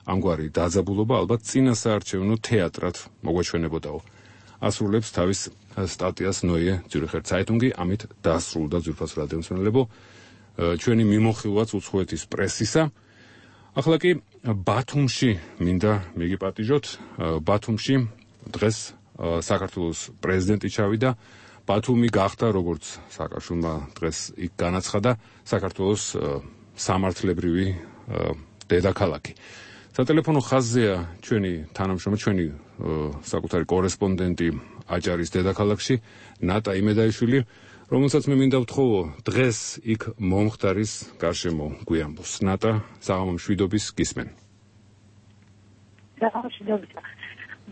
ამგვარი დაძაბულობა ალბათ წინასაარჩევნო თეატრად მოგვეჩვენებოდაო. ასრულებს თავის სტატიას ნოიე ციურხერ ცაიტუნგი, ამით დასრულდა ძვირფას რადიომსმენელებო ჩვენი მიმოხილვაც უცხოეთის პრესისა. ახლა კი ბათუმში მინდა მიგიპატიჟოთ. ბათუმში დღეს საქართველოს პრეზიდენტი ჩავიდა. ბათუმი გახდა, როგორც სააკაშვილმა დღეს იქ განაცხადა, საქართველოს სამართლებრივი დედაქალაქი. სატელეფონო ხაზზეა ჩვენი თანამშრომელი, ჩვენი საკუთარი კორესპონდენტი აჭარის დედაქალაქში, ნატა იმედაიშვილი, რომელსაც მე მინდა ვთხოვო დღეს იქ მომხდარის გარშემო გვიამბოს. ნატა, საღამო მშვიდობის, გისმენ. საღამო მშვიდობის.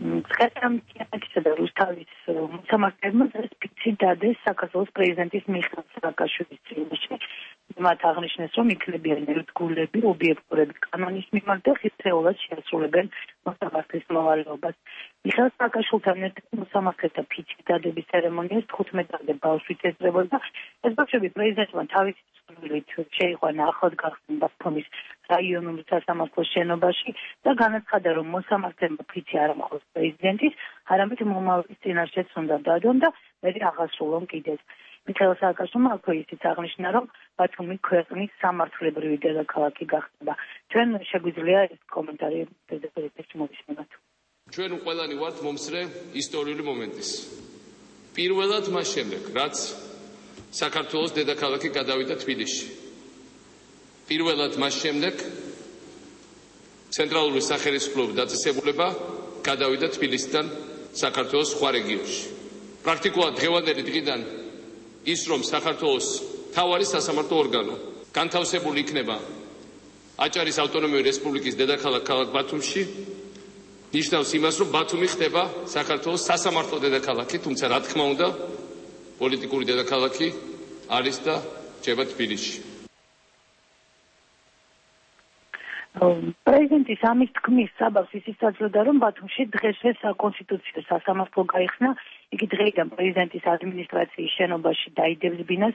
წყერტამტიანაკისა და რუსთავის მოსამართლეებმა დღეს ფიცი დადეს საქართველოს პრეზიდენტის მიხეილ სააკაშვილის წინაშე მათ აღნიშნეს, რომ იქნებიან ერთგულები, ობიექტურები კანონის მიმართ და ხილხეულად შეასრულებენ მოსამართლის მოვალეობას. მიხეილ სააკაშვილთან ერთად მოსამართლეთა ფიცის დადების ცერემონიას თხუთმეტამდე ბავშვით ესწრებოდა. ეს ბავშვები პრეზიდენტმა თავისი სურვილით შეიყვანა ახლად გახსნილ ბათუმის რაიონული სასამართლოს შენობაში და განაცხადა, რომ მოსამართლემა ფიცი არ მხოლოდ პრეზიდენტის, არამედ მომავლის წინაშეც უნდა დადონ და მერე აღასრულონ კიდეც. მიხეილ სააკაშვილმა აქვე ისიც აღნიშნა, რომ ბათუმი ქვეყნის სამართლებრივი დედაქალაქი გახდება. ჩვენ შეგვიძლია ეს კომენტარი დედაქალაქში მოვისმინოთ. ჩვენ ყველანი ვართ მომსწრე ისტორიული მომენტის. პირველად მას შემდეგ, რაც საქართველოს დედაქალაქი გადავიდა თბილისში. პირველად მას შემდეგ ცენტრალური სახელმწიფო დაწესებულება გადავიდა თბილისიდან საქართველოს სხვა რეგიონში. პრაქტიკულად დღევანდელი დღიდან ის რომ საქართველოს მთავარი სასამართლო ორგანო განთავსებული იქნება აჭარის ავტონომიური რესპუბლიკის დედაქალაქ ქალაქ ბათუმში, ნიშნავს იმას, რომ ბათუმი ხდება საქართველოს სასამართლო დედაქალაქი, თუმცა რა თქმა უნდა, პოლიტიკური დედაქალაქი არის და რჩება თბილისში. პრეზიდენტის ამის თქმის საბაბს ისიც აძლევდა, რომ ბათუმში დღესვე საკონსტიტუციო სასამართლო გაიხსნა. იგი დღეიდან პრეზიდენტის ადმინისტრაციის შენობაში დაიდებს ბინას.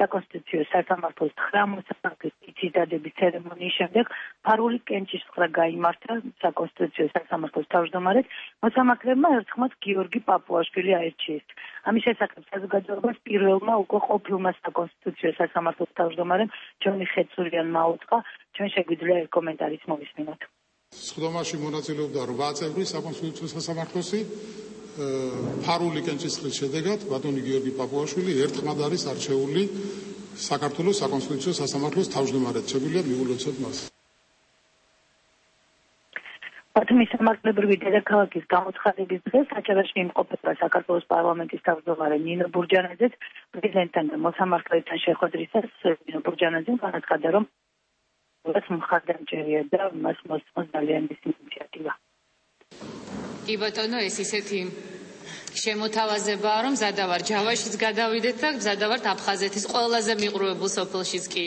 საკონსტიტუციო სასამართლოს ცხრა მოსამართლის ფიცის დადების ცერემონიის შემდეგ ფარული კენჭისყრა გაიმართა საკონსტიტუციო სასამართლოს თავმჯდომარედ. მოსამართლებმა ერთხმაც გიორგი პაპუაშვილი აირჩიეს. ამის შესახებ საზოგადოებას პირველმა უკვე ყოფილმა საკონსტიტუციო სასამართლოს თავმჯდომარემ ჯონი ხეცურიანმა აუწყა. ჩვენ შეგვიძლია ეს კომენტარიც მოვისმინოთ. სხდომაში მონაწილეობდა რვა წევრი საკონსტიტუციო სასამართლოსი. ფარული კენჭისყრის შედეგად ბატონი გიორგი პაპუაშვილი ერთხმად არის არჩეული საქართველოს საკონსტიტუციო სასამართლოს თავმჯდომარედ. შეგვიძლია მივულოცოთ მას. ბათუმის სამართლებრივი დედაქალაქის გამოცხადების დღეს აჭარაში იმყოფება საქართველოს პარლამენტის თავმჯდომარე ნინო ბურჯანაძეც. პრეზიდენტთან და მოსამართლეთან შეხვედრისას ნინო ბურჯანაძემ განაცხადა, რომ მხარდამჭერია და მას მოსწონს ძალიან ის ინიციატივა. კი ბატონო, ეს ისეთი შემოთავაზებაა, რომ მზადავარ ჯავაშიც გადავიდეთ და მზადავართ აფხაზეთის ყველაზე მიყრუებულ სოფელშიც კი.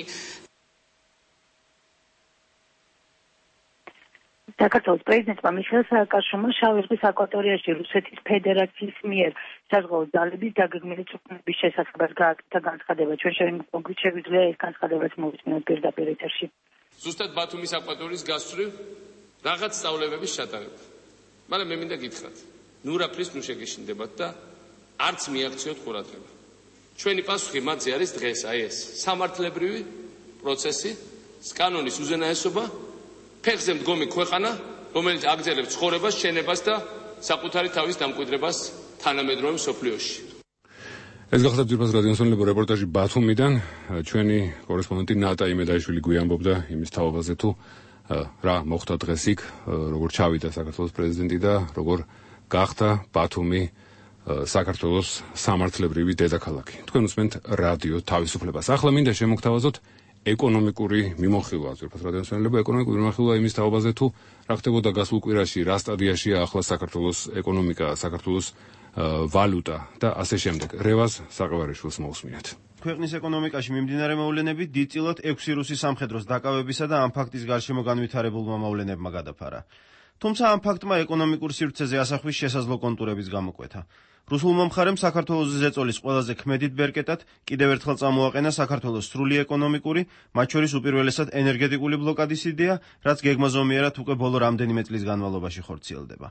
საქართველოს პრეზიდენტმა მიხეილ სააკაშვილმა შავი ზღვის აკვატორიაში რუსეთის ფედერაციის მიერ საზღვაო ძალების დაგეგმილი წვრთნების შესახებ გააკეთა განცხადება. ჩვენ შეგვიძლია ეს განცხადებაც მოვისმინოთ პირდაპირ ეთერში. ზუსტად ბათუმის აკვატორიის გასწვრივ რაღაც სწავლებების ჩატარება. მაგრამ მე მინდა გითხრათ, ნუ რაფრის ნუ შეგეშინდებათ და არც მიაქციოთ ყურადღება. ჩვენი პასუხი მათზე არის დღეს აი ეს სამართლებრივი პროცესი, კანონის უზენაესობა, ფეხზე მდგომი ქვეყანა, რომელიც აგრძელებს ცხოვრებას, შენებას და საკუთარი თავის დამკვიდრებას თანამედროვე მსოფლიოში. ეს გახლავთ ძირფას რადიოსონლებო რეპორტაჟი ბათუმიდან. ჩვენი კორესპონდენტი ნატა იმედაიშვილი გვიამბობდა იმის თაობაზე თუ რა მოხდა დღეს იქ, როგორ ჩავიდა საქართველოს პრეზიდენტი და როგორ გახდა ბათუმი საქართველოს სამართლებრივი დედაქალაქი. თქვენ უსმენთ რადიო თავისუფლებას. ახლა მინდა შემოგთავაზოთ ეკონომიკური მიმოხილვა, ძირფას რადიოსონლებო ეკონომიკური მიმოხილვა იმის თაობაზე თუ რა ხდებოდა გასულ კვირაში, რა სტადიაშია ახლა საქართველოს ეკონომიკა, საქართველოს ვალუტა და ასე შემდეგ. რევაზ საყევარიშვილს მოусმინეთ. ქვეყნის ეკონომიკაში მიმდინარე მოვლენები დიდწილად ექვსი რუსი სამხედროს დაკავებისა და ამ ფაქტის გარშემო განვითარებულმა მოვლენებმა გადაფარა. თუმცა ამ ფაქტმა ეკონომიკურ სივრცეზე ასახვის შესაძლო კონტურების გამოკვეთა. რუსულმა მხარემ საქართველოს ზეწოლის ყველაზე ქმედით ბერკეტად კიდევ ერთხელ წამოაყენა საქართველოს სრული ეკონომიკური, მათ შორის უპირველესად ენერგეტიკული ბლოკადის იდეა, რაც გეგმაზომიერად უკვე ბოლო რამდენიმე წლის განმავლობაში ხორციელდება.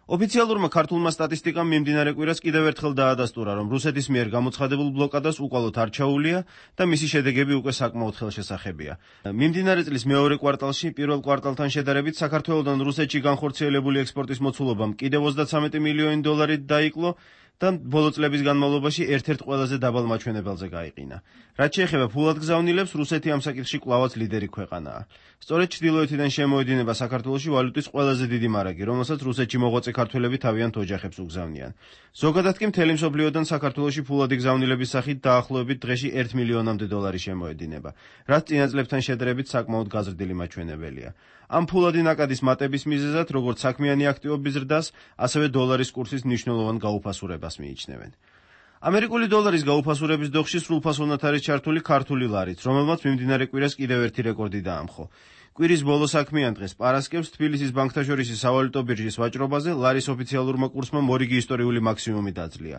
ოფიციალურმა ქართულმა სტატისტიკამ მიმდინარე კვირას კიდევ ერთხელ დაადასტურა, რომ რუსეთის მიერ გამოცხადებულ ბლოკადას უკვალოდ არ ჩაუვლია და მისი შედეგები უკვე საკმაოდ ხელშესახებია. მიმდინარე წლის მეორე კვარტალში პირველ კვარტალთან შედარებით საქართველოდან რუსეთში განხორციელებული ექსპორტის მოცულობამ კიდევ ოცდაცამეტი მილიონი დოლარით დაიკლო და ბოლო წლების განმავლობაში ერთ-ერთ ყველაზე დაბალ მაჩვენებელზე გაიყინა. რაც შეეხება ფულად გზავნილებს, რუსეთი ამ საკითხში კვლავაც ლიდერი ქვეყანაა. სწორედ ჩრდილოეთიდან შემოედინება საქართველოში ვალუტის ყველაზე დიდი მარაგი, რომელსაც რუსეთში მოღვაწე ქართველები თავიანთ ოჯახებს უგზავნიან. ზოგადად კი მთელი მსოფლიოდან საქართველოში ფულადი გზავნილების სახით დაახლოებით დღეში ერთ მილიონამდე დოლარი შემოედინება, რაც წინა წლებთან შედარებით საკმაოდ გაზრდილი მაჩვენებელია. ამ ფულადი ნაკადის მატების მიზეზად, როგორც საქმიანი აქტივობის ზრდას, ასევე დოლარის კურსის მნიშვნელოვან გაუფასურებას მიიჩნევენ. ამერიკული დოლარის გაუფასურების დოხში სრულფასოვნად არის ჩართული ქართული ლარიც, რომელმაც მიმდინარე კვირას კიდევ ერთი რეკორდი დაამხო. კვირის ბოლო საქმიან დღეს პარასკევს თბილისის ბანკთაშორისი სავალუტო ბირჟის ვაჭრობაზე ლარის ოფიციალურმა კურსმა მორიგი ისტორიული მაქსიმუმი დაძლია.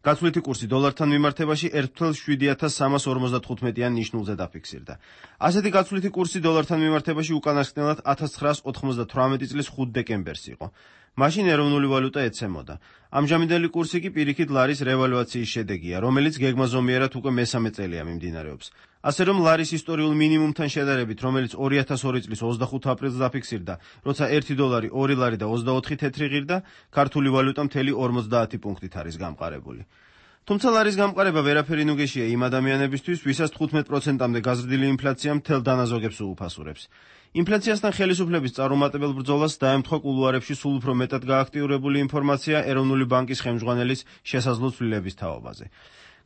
გაცვლითი კურსი დოლართან მიმართებაში ერთ ათას შვიდი ათას სამას ორმოცდათხუთმეტიან ნიშნულზე დაფიქსირდა. ასეთი გაცვლითი კურსი დოლართან მიმართებაში უკანასკნელად ათას ცხრაას ოთხმოცდათვრამეტი წლის ხუთ დეკემბერს იყო. მაშინ ეროვნული ვალუტა ეცემოდა. ამჟამინდელი კურსი კი პირიქით ლარის რევალუაციის შედეგია, რომელიც გეგმაზომიერად უკვე მესამე წელია მიმდინარეობს. ასე რომ ლარის ისტორიულ მინიმუმთან შედარებით, რომელიც ორი ათას ორი წლის ოცდახუთ აპრილს დაფიქსირდა, როცა ერთი დოლარი ორი ლარი და ოცდაოთხი თეთრი ღირდა, ქართული ვალუტა მთელი ორმოცდაათი პუნქტით არის გამყარებული. თუმცა ლარის გამყარება ვერაფერი ნუგეშია იმ ადამიანებისთვის, ვისაც თხუთმეტ პროცენტამდე გაზრდილი ინფლაცია მთელ დანაზოგებს უუფასურებს. ინფლაციასთან ხელისუფლების წარუმატებელ ბრძოლას დაემთხვა კულუარებში სულ უფრო მეტად გააქტიურებული ინფორმაცია ეროვნული ბანკის ხელმძღვანელის შესაძლო ცვლილების თაობაზე.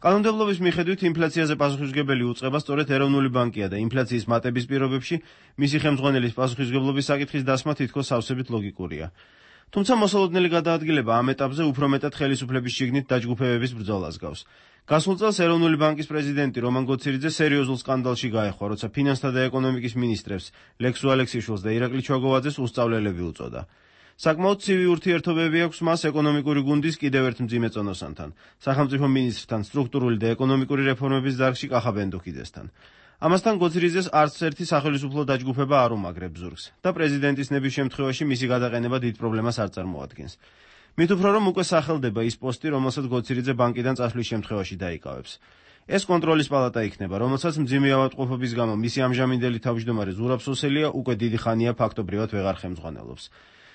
კანონმდებლობის მიხედვით ინფლაციაზე პასუხისმგებელი უწყება სწორედ ეროვნული ბანკია და ინფლაციის მატების პირობებში მისი ხელმძღვანელის პასუხისმგებლობის საკითხის დასმა თითქოს სავსებით ლოგიკურია. თუმცა მოსალოდნელი გადაადგილება ამ ეტაპზე უფრო მეტად ხელისუფლების შიგნით დაჯგუფებების ბრძოლას გავს. გასულ წელს ეროვნული ბანკის პრეზიდენტი რომან გოცირიძე სერიოზულ სკანდალში გაეხვა, როცა ფინანსთა და ეკონომიკის მინისტრებს ლექსუ ალექსიშვილს და ირაკლი ჩვაგოვაძეს უსწავლელები უწოდა. საკმაოდ ცივი ურთიერთობები აქვს მას ეკონომიკური გუნდის კიდევ ერთ მძიმე წონოსანთან, სახელმწიფო მინისტრთან, სტრუქტურული და ეკონომიკური რეფორმების დარგში კახა ბენდუქიძესთან. ამასთან გოცირიძეს არც ერთი სახელისუფლო დაჯგუფება არ უმაგრებს ზურგს და პრეზიდენტის ნების შემთხვევაში მისი გადაყენება დიდ პრობლემას არ წარმოადგენს. მით უფრო რომ უკვე სახელდება ის პოსტი, რომელსაც გოცირიძე ბანკიდან წასვლის შემთხვევაში დაიკავებს. ეს კონტროლის პალატა იქნება, რომელსაც მძიმე ავადმყოფობის გამო მისი ამჟამინდელი თავმჯდომარე ზურაბ სოსელია უკვე დიდი ხანია ფაქტობრივად ვეღარ ხელმძღვანელობს.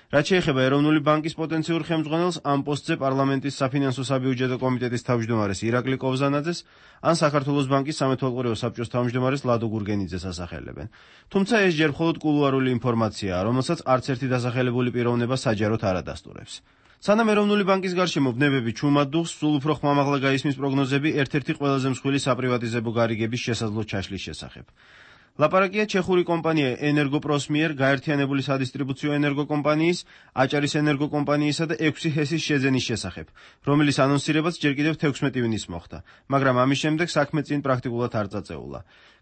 რაც შეეხება ეროვნული ბანკის პოტენციურ ხელმძღვანელს, ამ პოსტზე პარლამენტის საფინანსო საბიუჯეტო კომიტეტის თავმჯდომარეს ირაკლი კოვზანაძეს, ან საქართველოს ბანკის სამეთვალყურეო საბჭოს თავმჯდომარეს ლადო გურგენიძეს ასახელებენ. თუმცა ეს ჯერ მხოლოდ კულუარული ინფორმაციაა, რომელსაც არც ერთი დასახელებული პიროვნება საჯაროდ არ ადასტურებს. სანამ ეროვნული ბანკის გარშემო ბნებები ჩუმად დუხს, სულ უფრო ხმამაღლა გაისმის პროგნოზები ერთ-ერთი ყველაზე მსხვილი საპრივატიზებო გარიგების შესაძლო ჩაშლის შესახებ. ლაპარაკია ჩეხური კომპანია ენერგოპროს მიერ გაერთიანებული სადისტრიბუციო ენერგოკომპანიის, აჭარის ენერგოკომპანიისა და ექვსი ჰესის შეძენის შესახებ, რომლის ანონსირებაც ჯერ კიდევ თექვსმეტი ივნის მოხდა, მაგრამ ამის შემდეგ საქმე წინ პრაქტიკულად არ წაწეულა.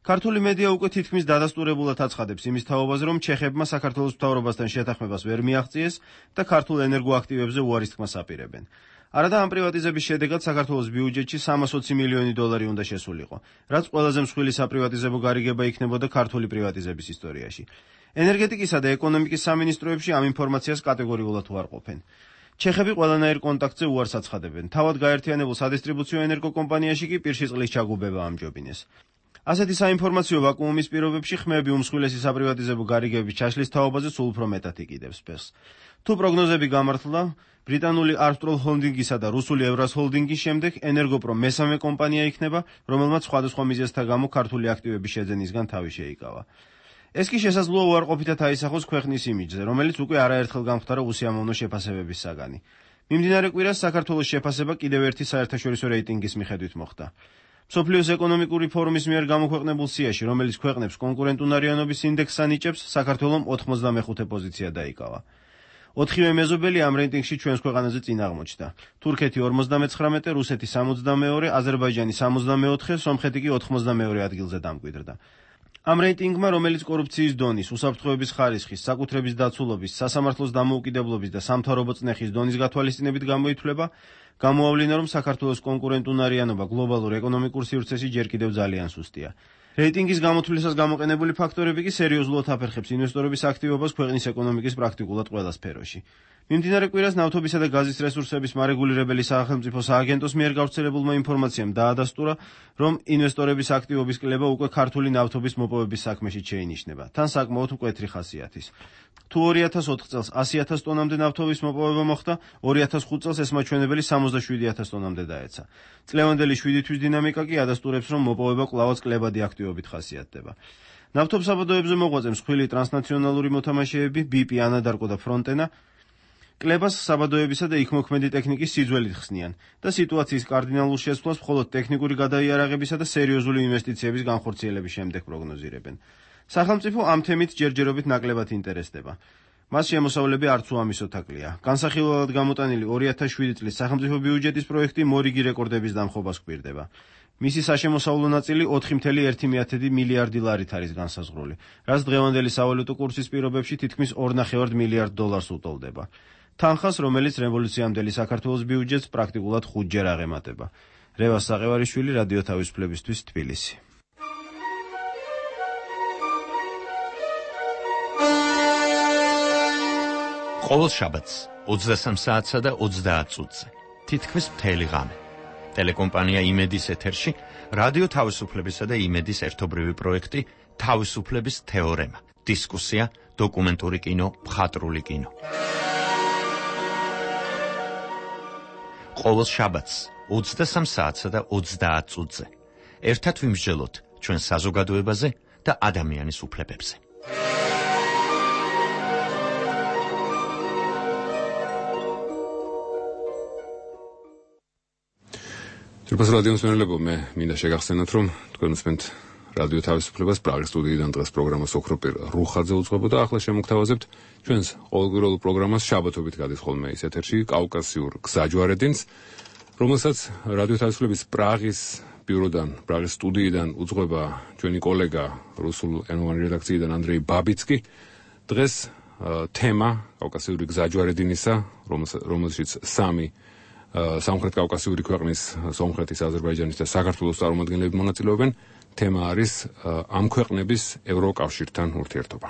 ქართული მედია უკვე თითქმის დადასტურებულად აცხადებს იმის თაობაზე, რომ ჩეხებმა საქართველოს მთავრობასთან შეთანხმებას ვერ მიაღწიეს და ქართულ ენერგოაქტივებზე უარის თქმას აპირებენ. არადა ამ პრივატიზების შედეგად საქართველოს ბიუჯეტში სამას ოცი მილიონი დოლარი უნდა შესულიყო, რაც ყველაზე მსხვილი საპრივატიზებო გარიგება იქნებოდა ქართული პრივატიზების ისტორიაში. ენერგეტიკისა და ეკონომიკის სამინისტროებში ამ ინფორმაციას კატეგორიულად უარყოფენ. ჩეხები ყველანაირ კონტაქტზე უარს აცხადებენ, თავად გაერთიანებულ სადისტრიბუციო ენერგოკომპანიაში კი პირში წყლის ჩაგუბება ამჯობინეს. ასეთი საინფორმაციო ვაკუუმის პირობებში ხმები უმსხვილესი საპრივატიზებო გარიგების ჩაშლის თაობაზე სულ უფრო მეტად იკიდებს ფეხს. თუ პროგნოზები გამართლდა, ბრიტანული Armstrong ჰოლდინგისა და რუსული ევრას ჰოლდინგის შემდეგ ენერგოპრო მესამე კომპანია იქნება, რომელმაც სხვადასხვა მიზეზთა გამო ქართული აქტივების შეძენისგან თავი შეიკავა. ეს კი შესაძლოა უარყოფითად აისახოს ქვეყნის იმიჯზე, რომელიც უკვე არაერთხელ გამხდარა უსიამოვნო შეფასებების საგანი. მიმდინარე კვირას საქართველოს შეფასება კიდევ ერთი საერთაშორისო რეიტინგის მიხედვით მოხდა. მსოფლიოს ეკონომიკური ფორუმის მიერ გამოქვეყნებულ სიაში, რომელიც ქვეყნებს კონკურენტუნარიანობის ინდექსს ანიჭებს, საქართველომ ოთხმოცდამეხუთე პოზიცია დაიკავა. ოთხივე მეზობელი ამ რეიტინგში ჩვენს ქვეყანაზე წინ აღმოჩნდა. თურქეთი ორმოცდამეცხრამეტე, რუსეთი სამოცდამეორე, აზერბაიჯანი სამოცდამეოთხე, სომხეთი კი ოთხმოცდამეორე ადგილზე დამკვიდრდა. ამ რეიტინგმა, რომელიც კორუფციის დონის, უსაფრთხოების ხარისხის, საკუთრების დაცულობის, სასამართლოს დამოუკიდებლობის და სამთავრობო წნეხის დონის გათვალისწინებით გამოითვლება, გამოავლინა, რომ საქართველოს კონკურენტუნარიანობა გლობალურ ეკონომიკურ სივრცეში ჯერ კიდევ ძალიან სუსტია. რეიტინგის გამოთვლისას გამოყენებული ფაქტორები კი სერიოზულად აფერხებს ინვესტორების აქტივობას ქვეყნის ეკონომიკის პრაქტიკულად ყველა სფეროში. მიმდინარე კვირას ნავთობისა და გაზის რესურსების მარეგულირებელი სახელმწიფო სააგენტოს მიერ გავრცელებულმა ინფორმაციამ დაადასტურა, რომ ინვესტორების აქტივობის კლება უკვე ქართული ნავთობის მოპოვების საქმეში შეინიშნება, თან საკმაოდ მკვეთრი ხასიათის. თუ ორი ათას ოთხ წელს ასი ათას ტონამდე ნავთობის მოპოვება მოხდა, ორი ათას ხუთ წელს ეს მაჩვენებელი სამოცდაშვიდი ათას ტონამდე დაეცა. წლევანდელი შვიდი თვის დინამიკა კი ადასტურებს, რომ მოპოვება კვლავაც კლებადი აქტივობით ხასიათდება. ნავთობის საბადოებზე მოღვაწე მსხვილი ტრანსნაციონალური მოთამაშეები ბი პი, ანადარკო და ფრონტენა კლებას საბადოებისა და იქმოქმედი ტექნიკის სიძველით ხსნიან და სიტუაციის კარდინალურ შეცვლას მხოლოდ ტექნიკური გადაიარაღებისა და სერიოზული ინვესტიციების განხორციელების შემდეგ პროგნოზირებენ. სახელმწიფო ამ თემით ჯერჯერობით ნაკლებად ინტერესდება. მას შემოსავლები არც უამისო თაკლია. განსახილველად გამოტანილი ორი ათას შვიდი წლის სახელმწიფო ბიუჯეტის პროექტი მორიგი რეკორდების დამხობას გვირდება. მისი საშემოსავლო ნაწილი ოთხი კoma ერთი მილიარდი ლარით არის განსაზღვრული, რაც დღევანდელი სავალუტო კურსის პირობებში თითქმის ორ ნახევარ მილიარდ დოლარს უტოლდება. თანხას, რომელიც რევოლუციამდელი საქართველოს ბიუჯეტს პრაქტიკულად ხუთჯერ აღემატება. რევას საყევარიშვილი, რადიო თავისუფლებისთვის, თბილისი. ყოველ შაბათს ოცდასამ საათსა და ოცდაათ წუთზე თითქმის მთელი ღამე ტელეკომპანია იმედის ეთერში რადიო თავისუფლებისა და იმედის ერთობრივი პროექტი თავისუფლების თეორემა, დისკუსია, დოკუმენტური კინო, მხატვრული კინო. ყოველ შაბათს ოცდასამ საათსა და ოცდაათ წუთზე ერთად ვიმსჯელოთ ჩვენ საზოგადოებაზე და ადამიანის უფლებებზე. Თურქეთის რადიოს მენელებო, მე მინდა შეგახსენოთ, რომ თქვენ უსმენთ რადიო თავისუფლებას პრაღის სტუდიიდან დღეს პროგრამას ოქროპირ რუხაძე უძღვებოდა და ახლა შემოგთავაზებთ ჩვენს ყოველკვირეულ პროგრამას შაბათობით გადის ხოლმე ის ეთერში კავკასიურ გზაჯვარედინს, რომელსაც რადიო თავისუფლების პრაღის ბიუროდან, პრაღის სტუდიიდან უძღვება ჩვენი კოლეგა რუსულენოვანი რედაქციიდან ანდრეი ბაბიცკი. დღეს თემა კავკასიური გზაჯვარედინისა, რომელშიც სამი სამხრეთ კავკასიური ქვეყნის, სომხეთის, აზერბაიჯანის და საქართველოს წარმომადგენლები მონაწილეობენ. თემა არის ამ ქვეყნების ევროკავშირთან ურთიერთობა.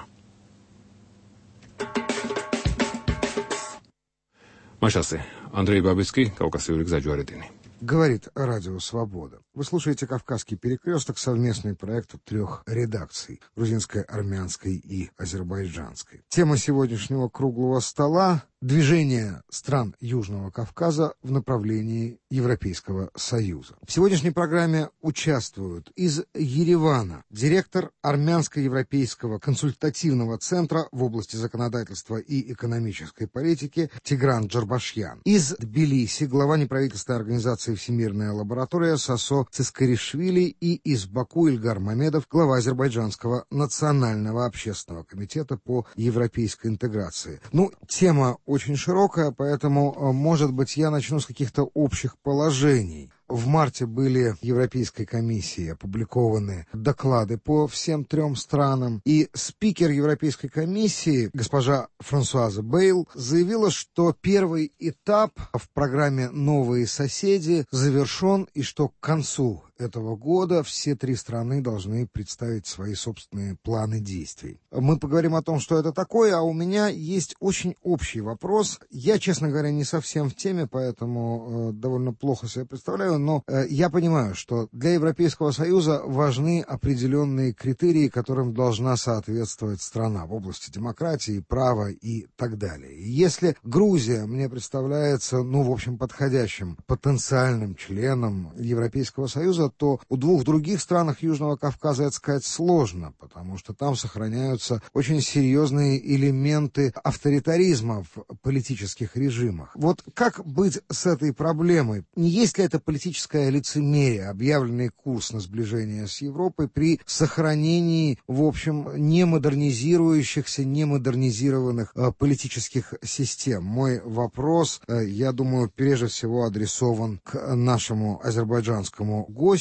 Машасе, Андрей Бабицкий, Кавказский гзаджваредини. Говорит Радио Свобода. Вы слушаете «Кавказский перекресток», совместный проект трех редакций – грузинской, армянской и азербайджанской. Тема сегодняшнего круглого стола – движение стран Южного Кавказа в направлении Европейского Союза. В сегодняшней программе участвуют из Еревана директор Армянско-Европейского консультативного центра в области законодательства и экономической политики Тигран Джарбашьян. Из Тбилиси глава неправительственной организации «Всемирная лаборатория» Сосо Цискаришвили и из Баку Ильгар Мамедов, глава Азербайджанского национального общественного комитета по европейской интеграции. Ну, тема очень широкая, поэтому, может быть, я начну с каких-то общих положений. В марте были в Европейской комиссии опубликованы доклады по всем трем странам, и спикер Европейской комиссии, госпожа Франсуаза Бейл, заявила, что первый этап в программе «Новые соседи» завершен, и что к концу этого года все три страны должны представить свои собственные планы действий. Мы поговорим о том, что это такое, а у меня есть очень общий вопрос. Я, честно говоря, не совсем в теме, поэтому э, довольно плохо себе представляю, но э, я понимаю, что для Европейского Союза важны определенные критерии, которым должна соответствовать страна в области демократии, права и так далее. И если Грузия мне представляется, ну, в общем, подходящим потенциальным членом Европейского Союза, то у двух других странах Южного Кавказа это сказать сложно, потому что там сохраняются очень серьезные элементы авторитаризма в политических режимах. Вот как быть с этой проблемой? Не есть ли это политическое лицемерие, объявленный курс на сближение с Европой при сохранении, в общем, не модернизирующихся, не модернизированных э, политических систем? Мой вопрос, э, я думаю, прежде всего адресован к нашему азербайджанскому гостю.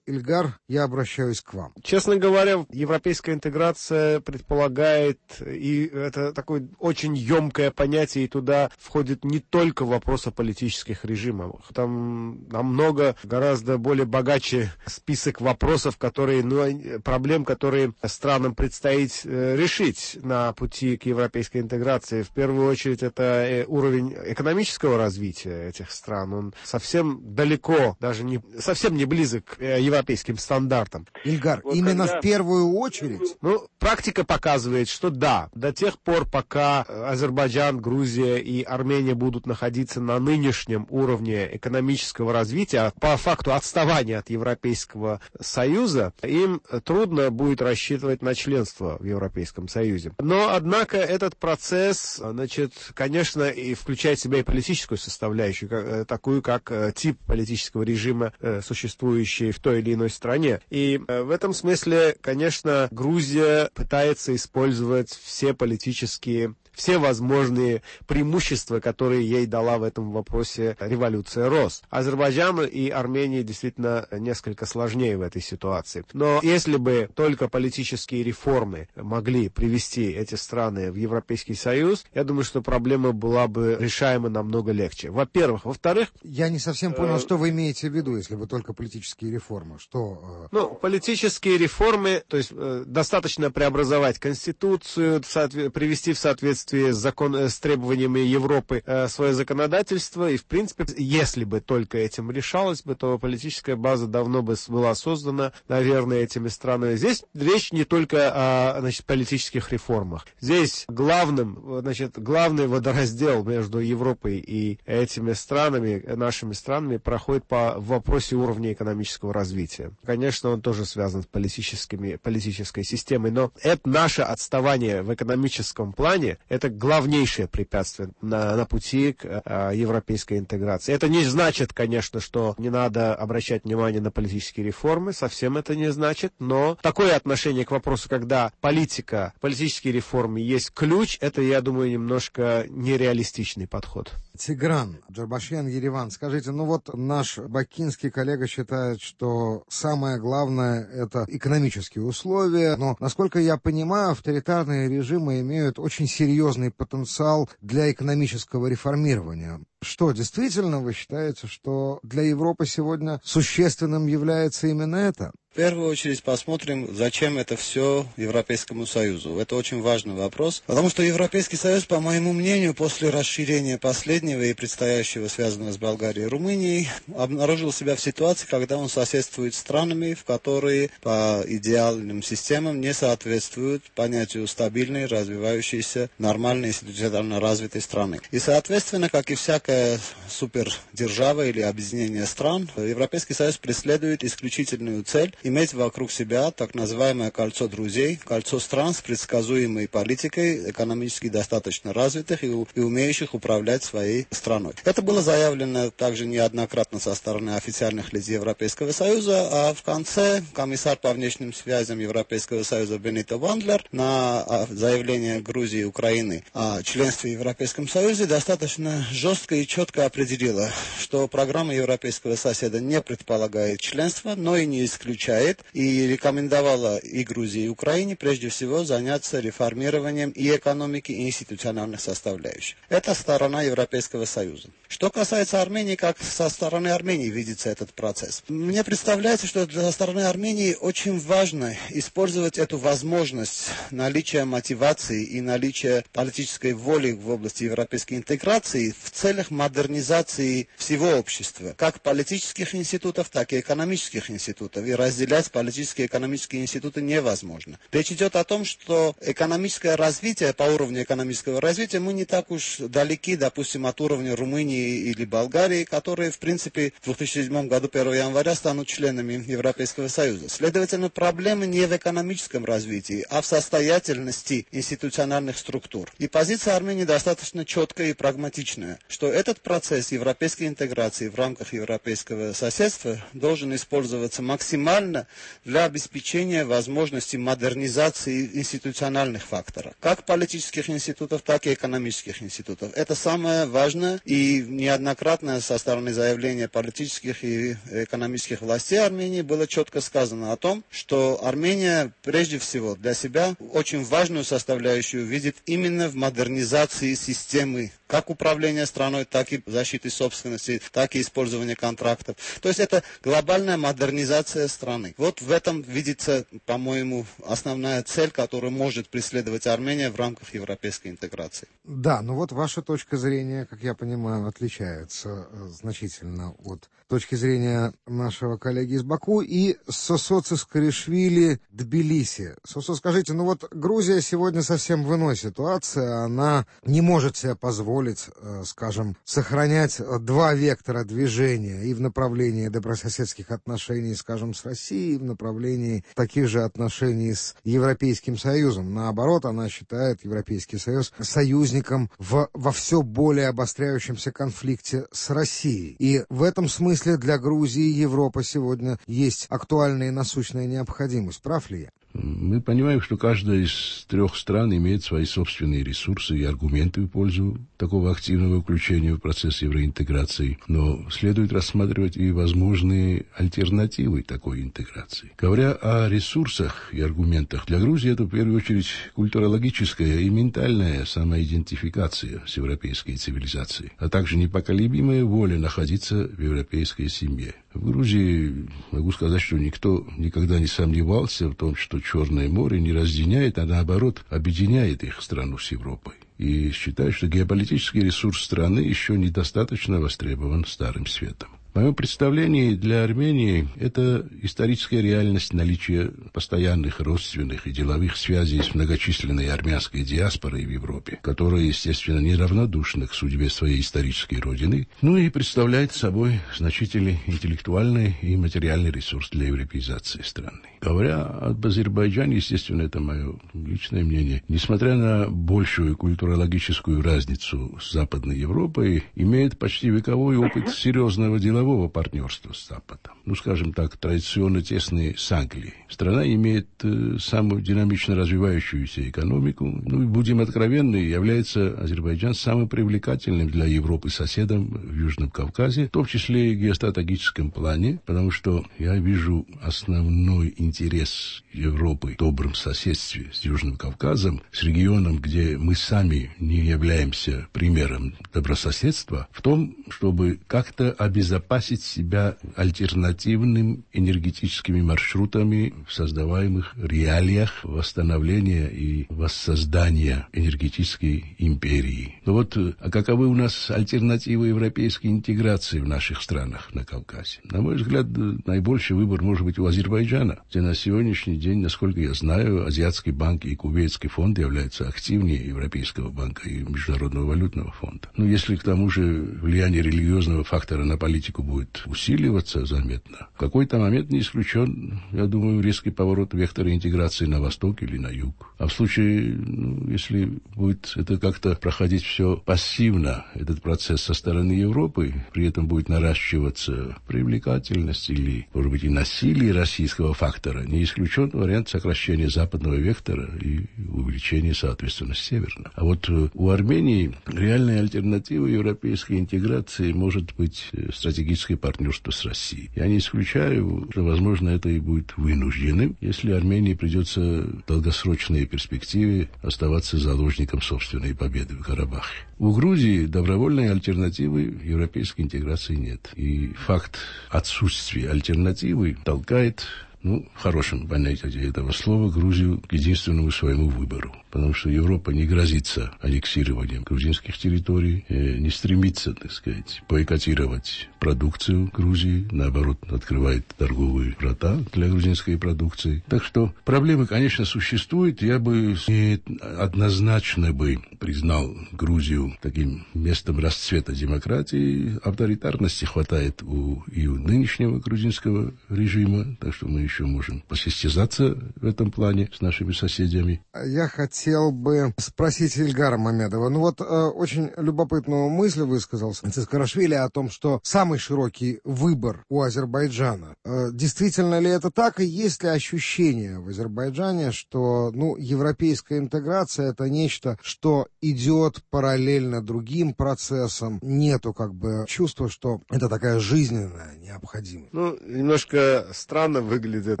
Ильгар, я обращаюсь к вам. Честно говоря, европейская интеграция предполагает, и это такое очень емкое понятие, и туда входит не только вопрос о политических режимах. Там намного, гораздо более богаче список вопросов, которые, ну, проблем, которые странам предстоит решить на пути к европейской интеграции. В первую очередь, это уровень экономического развития этих стран. Он совсем далеко, даже не, совсем не близок к европейским стандартам. Ильгар, вот именно когда... в первую очередь? Ну, практика показывает, что да, до тех пор, пока Азербайджан, Грузия и Армения будут находиться на нынешнем уровне экономического развития, по факту отставания от Европейского Союза, им трудно будет рассчитывать на членство в Европейском Союзе. Но, однако, этот процесс, значит, конечно, и включает в себя и политическую составляющую, такую, как тип политического режима, существующий в той или иной стране. И э, в этом смысле, конечно, Грузия пытается использовать все политические все возможные преимущества, которые ей дала в этом вопросе революция РОС. Азербайджану и Армении действительно несколько сложнее в этой ситуации. Но если бы только политические реформы могли привести эти страны в Европейский Союз, я думаю, что проблема была бы решаема намного легче. Во-первых. Во-вторых... Я не совсем понял, э... что вы имеете в виду, если бы только политические реформы. Что... Э... Ну, политические реформы, то есть э, достаточно преобразовать Конституцию, в соответ... привести в соответствие с, закон... с требованиями Европы э, свое законодательство, и, в принципе, если бы только этим решалось бы, то политическая база давно бы была создана, наверное, этими странами. Здесь речь не только о, значит, политических реформах. Здесь главным, значит, главный водораздел между Европой и этими странами, нашими странами, проходит по вопросе уровня экономического развития. Конечно, он тоже связан с политическими, политической системой, но это наше отставание в экономическом плане, это главнейшее препятствие на, на пути к а, европейской интеграции. Это не значит, конечно, что не надо обращать внимание на политические реформы, совсем это не значит, но такое отношение к вопросу, когда политика, политические реформы есть ключ, это, я думаю, немножко нереалистичный подход. Тигран, Джарбашьян, Ереван, скажите, ну вот наш бакинский коллега считает, что самое главное – это экономические условия, но, насколько я понимаю, авторитарные режимы имеют очень серьезный потенциал для экономического реформирования. Что, действительно, вы считаете, что для Европы сегодня существенным является именно это? В первую очередь посмотрим, зачем это все Европейскому Союзу. Это очень важный вопрос, потому что Европейский Союз, по моему мнению, после расширения последнего и предстоящего, связанного с Болгарией и Румынией, обнаружил себя в ситуации, когда он соседствует с странами, в которые по идеальным системам не соответствуют понятию стабильной, развивающейся, нормальной, институционально развитой страны. И, соответственно, как и всякая супердержава или объединение стран, Европейский Союз преследует исключительную цель иметь вокруг себя так называемое кольцо друзей, кольцо стран с предсказуемой политикой, экономически достаточно развитых и, и умеющих управлять своей страной. Это было заявлено также неоднократно со стороны официальных лиц Европейского Союза, а в конце комиссар по внешним связям Европейского Союза Бенито Вандлер на заявление Грузии и Украины о членстве в Европейском Союзе достаточно жестко и четко определила, что программа европейского соседа не предполагает членство, но и не исключает, и рекомендовала и Грузии, и Украине прежде всего заняться реформированием и экономики, и институциональных составляющих. Это сторона Европейского Союза. Что касается Армении, как со стороны Армении видится этот процесс? Мне представляется, что для стороны Армении очень важно использовать эту возможность наличия мотивации и наличия политической воли в области европейской интеграции в целях модернизации всего общества, как политических институтов, так и экономических институтов, и разделять политические и экономические институты невозможно. Речь идет о том, что экономическое развитие, по уровню экономического развития, мы не так уж далеки, допустим, от уровня Румынии или Болгарии, которые, в принципе, в две тысячи седьмом году первого января станут членами Европейского Союза. Следовательно, проблема не в экономическом развитии, а в состоятельности институциональных структур. И позиция Армении достаточно четкая и прагматичная, что этот процесс европейской интеграции в рамках европейского соседства должен использоваться максимально для обеспечения возможности модернизации институциональных факторов, как политических институтов, так и экономических институтов. Это самое важное, и неоднократно со стороны заявления политических и экономических властей Армении было четко сказано о том, что Армения прежде всего для себя очень важную составляющую видит именно в модернизации системы как управления страной, так и защиты собственности, так и использования контрактов. То есть это глобальная модернизация страны. Вот в этом видится, по-моему, основная цель, которую может преследовать Армения в рамках европейской интеграции. Да, но вот ваша точка зрения, как я понимаю, отличается значительно от точки зрения нашего коллеги из Баку и Сосо Цискаришвили, Тбилиси. Сосо, скажите, ну вот Грузия сегодня совсем в иной ситуации, она не может себе позволить, скажем, сохранять два вектора движения и в направлении добрососедских отношений, скажем, с Россией, и в направлении таких же отношений с Европейским Союзом. Наоборот, она считает Европейский Союз союзником в, во все более обостряющемся конфликте с Россией. И в этом смысле для Грузии Европа сегодня есть актуальная и насущная необходимость. Прав ли я? Мы понимаем, что каждая из трех стран имеет свои собственные ресурсы и аргументы в пользу такого активного включения в процесс евроинтеграции, но следует рассматривать и возможные альтернативы такой интеграции. Говоря о ресурсах и аргументах, для Грузии это в первую очередь культурологическая и ментальная самоидентификация с европейской цивилизацией, а также непоколебимая воля находиться в европейской семье. В Грузии могу сказать, что никто никогда не сомневался в том, что Черное море не разъединяет, а наоборот объединяет их страну с Европой. И считаю, что геополитический ресурс страны еще недостаточно востребован Старым Светом. В моем представлении для Армении это историческая реальность наличия постоянных родственных и деловых связей с многочисленной армянской диаспорой в Европе, которая, естественно, неравнодушна к судьбе своей исторической родины, ну и представляет собой значительный интеллектуальный и материальный ресурс для европеизации страны. Говоря об Азербайджане, естественно, это мое личное мнение, несмотря на большую культурологическую разницу с Западной Европой, имеет почти вековой опыт серьезного делового партнерства с Западом. Ну, скажем так, традиционно тесные с Англией. Страна имеет э, самую динамично развивающуюся экономику. Ну, и будем откровенны, является Азербайджан самым привлекательным для Европы соседом в Южном Кавказе, в том числе и в геостратегическом плане, потому что я вижу основной интерес Европы в добром соседстве с Южным Кавказом, с регионом, где мы сами не являемся примером добрососедства, в том, чтобы как-то обезопасить себя альтернативным энергетическими маршрутами в создаваемых реалиях восстановления и воссоздания энергетической империи. Но вот а каковы у нас альтернативы европейской интеграции в наших странах на Кавказе? На мой взгляд, наибольший выбор может быть у Азербайджана, где на сегодняшний день, насколько я знаю, Азиатский банк и Кувейтский фонд являются активнее Европейского банка и Международного валютного фонда. Но если к тому же влияние религиозного фактора на политику будет усиливаться заметно, в какой-то момент не исключен, я думаю, резкий поворот вектора интеграции на восток или на юг. А в случае, ну, если будет это как-то проходить все пассивно, этот процесс со стороны Европы, при этом будет наращиваться привлекательность или, может быть, и насилие российского фактора, не исключен вариант сокращения западного вектора и увеличения, соответственно, северного. А вот у Армении реальная альтернатива европейской интеграции может быть стратегическое партнерство с Россией. Я не исключаю, что, возможно, это и будет вынужденным, если Армении придется в долгосрочной перспективе оставаться заложником собственной победы в Карабахе. У Грузии добровольной альтернативы европейской интеграции нет. И факт отсутствия альтернативы толкает, ну, в хорошем понятии этого слова, Грузию к единственному своему выбору. Потому что Европа не грозится аннексированием грузинских территорий, не стремится, так сказать, бойкотировать продукцию Грузии, наоборот, открывает торговые врата для грузинской продукции. Так что проблемы, конечно, существуют. Я бы не однозначно бы признал Грузию таким местом расцвета демократии. Авторитарности хватает у, и у нынешнего грузинского режима, так что мы еще можем посостязаться в этом плане с нашими соседями. Я хотел бы спросить Ильгара Мамедова. Ну вот э, очень любопытную мысль высказал Цискарашвили о том, что самый широкий выбор у Азербайджана. Э, действительно ли это так? И есть ли ощущение в Азербайджане, что ну, европейская интеграция — это нечто, что идет параллельно другим процессам? Нету как бы чувства, что это такая жизненная необходимость? Ну, немножко странно выглядит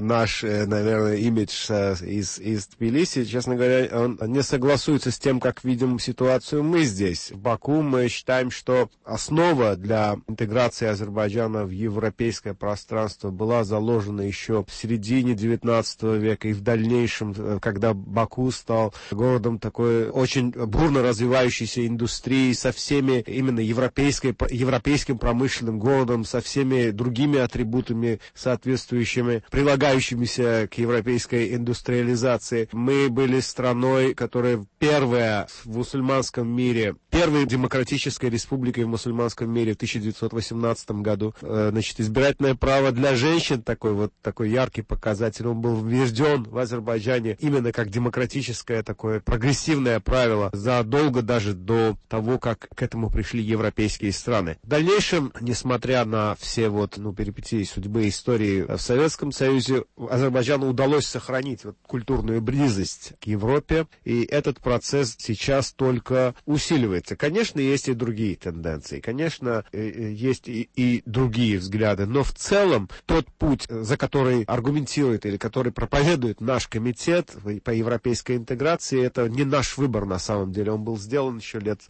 наш, наверное, имидж из, из Тбилиси. Честно говоря, он не согласуется с тем, как видим ситуацию мы здесь. В Баку мы считаем, что основа для интеграции Азербайджана в европейское пространство была заложена еще в середине девятнадцатого века и в дальнейшем, когда Баку стал городом такой очень бурно развивающейся индустрии со всеми именно европейской, европейским промышленным городом, со всеми другими атрибутами, соответствующими, прилагающимися к европейской индустриализации. Мы были страной, которая первая в мусульманском мире, первой демократической республикой в мусульманском мире в тысяча девятьсот восемнадцатом году. Значит, избирательное право для женщин, такой вот такой яркий показатель, он был введен в Азербайджане именно как демократическое такое прогрессивное правило задолго даже до того, как к этому пришли европейские страны. В дальнейшем, несмотря на все вот, ну, перипетии судьбы истории в Советском Союзе, Союзе Азербайджану удалось сохранить вот культурную близость к Европе, и этот процесс сейчас только усиливается. Конечно, есть и другие тенденции, конечно, есть и, и другие взгляды, но в целом тот путь, за который аргументирует или который проповедует наш комитет по европейской интеграции, это не наш выбор на самом деле, он был сделан еще лет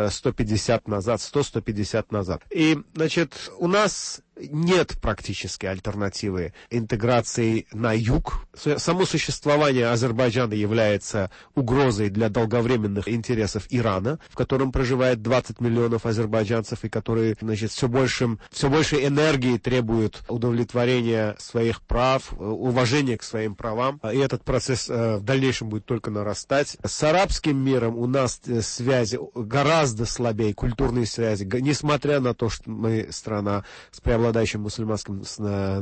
сто пятьдесят назад, сто - сто пятьдесят назад. И, значит, у нас нет практически альтернативы интеграции на юг. Само существование Азербайджана является угрозой для долговременных интересов Ирана, в котором проживает двадцать миллионов азербайджанцев, и которые, значит, все большим, все больше энергии требуют удовлетворения своих прав, уважения к своим правам. И этот процесс в дальнейшем будет только нарастать. С арабским миром у нас связи гораздо слабее, культурные связи, несмотря на то, что мы страна с преобладающим мусульманским